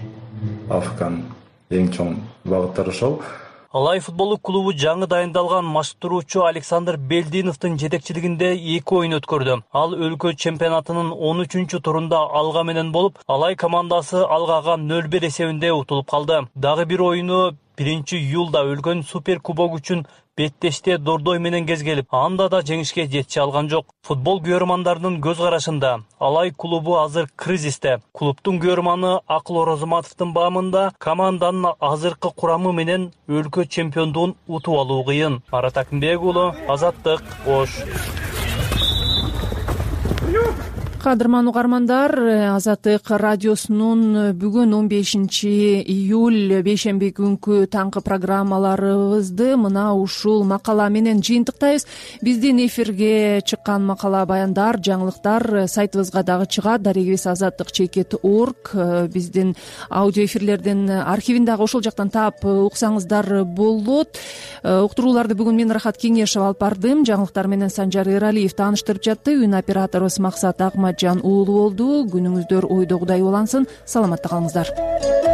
АФКнын эң чоң багыттары ошол. Алай футболдук клубу жаңы дайындалган маштуруучу Александр Белдиновдун жетекчилигинде 2 оюн өткөрдү. Ал өлкө чемпионатынын 13-турунда Алга менен болуп, Алай командасы Алгага 0-1 эсебинде утулуп калды. Дагы бир оюну 1-июлда өлкөнүн супер кубок үчүн Беттеште Дордой менен кезгелип, анда да жеңишке жетише алган жок. Футбол күйөрмандарынын көз карашында Алай клубу азыр кризисте. Клубдун күйөрманы Акыл Орозматовдун баамында команданын азыркы курамы менен өлкө чемпиондугун утуп алуу кыйын. Марат Акимбек уулу, Азаттык, Ош. Кадырман угармандар, Азаттык радиосунун бүгүн 15-июль бейшемби күнкү таңкы программаларыбызды мына ушул макала менен жыйынтыктайбыз. Биздин эфирге чыккан макала, баяндар, жаңылыктар сайтыбызга дагы чыгат. Дарегибиз azattik.org. Биздин аудио эфирлердин архивин дагы ошол жактан таап уксаңыздар болот. Уктурууларды бүгүн мен Рахат Кеңешев алып бардым. Жаңылыктар менен Санжар Эралиев тааныштырып жатты. Үн операторубуз Максат Акматжан уулу болду. Күнүңүздөр ойдогудай улансын. Саламатта калыңыздар.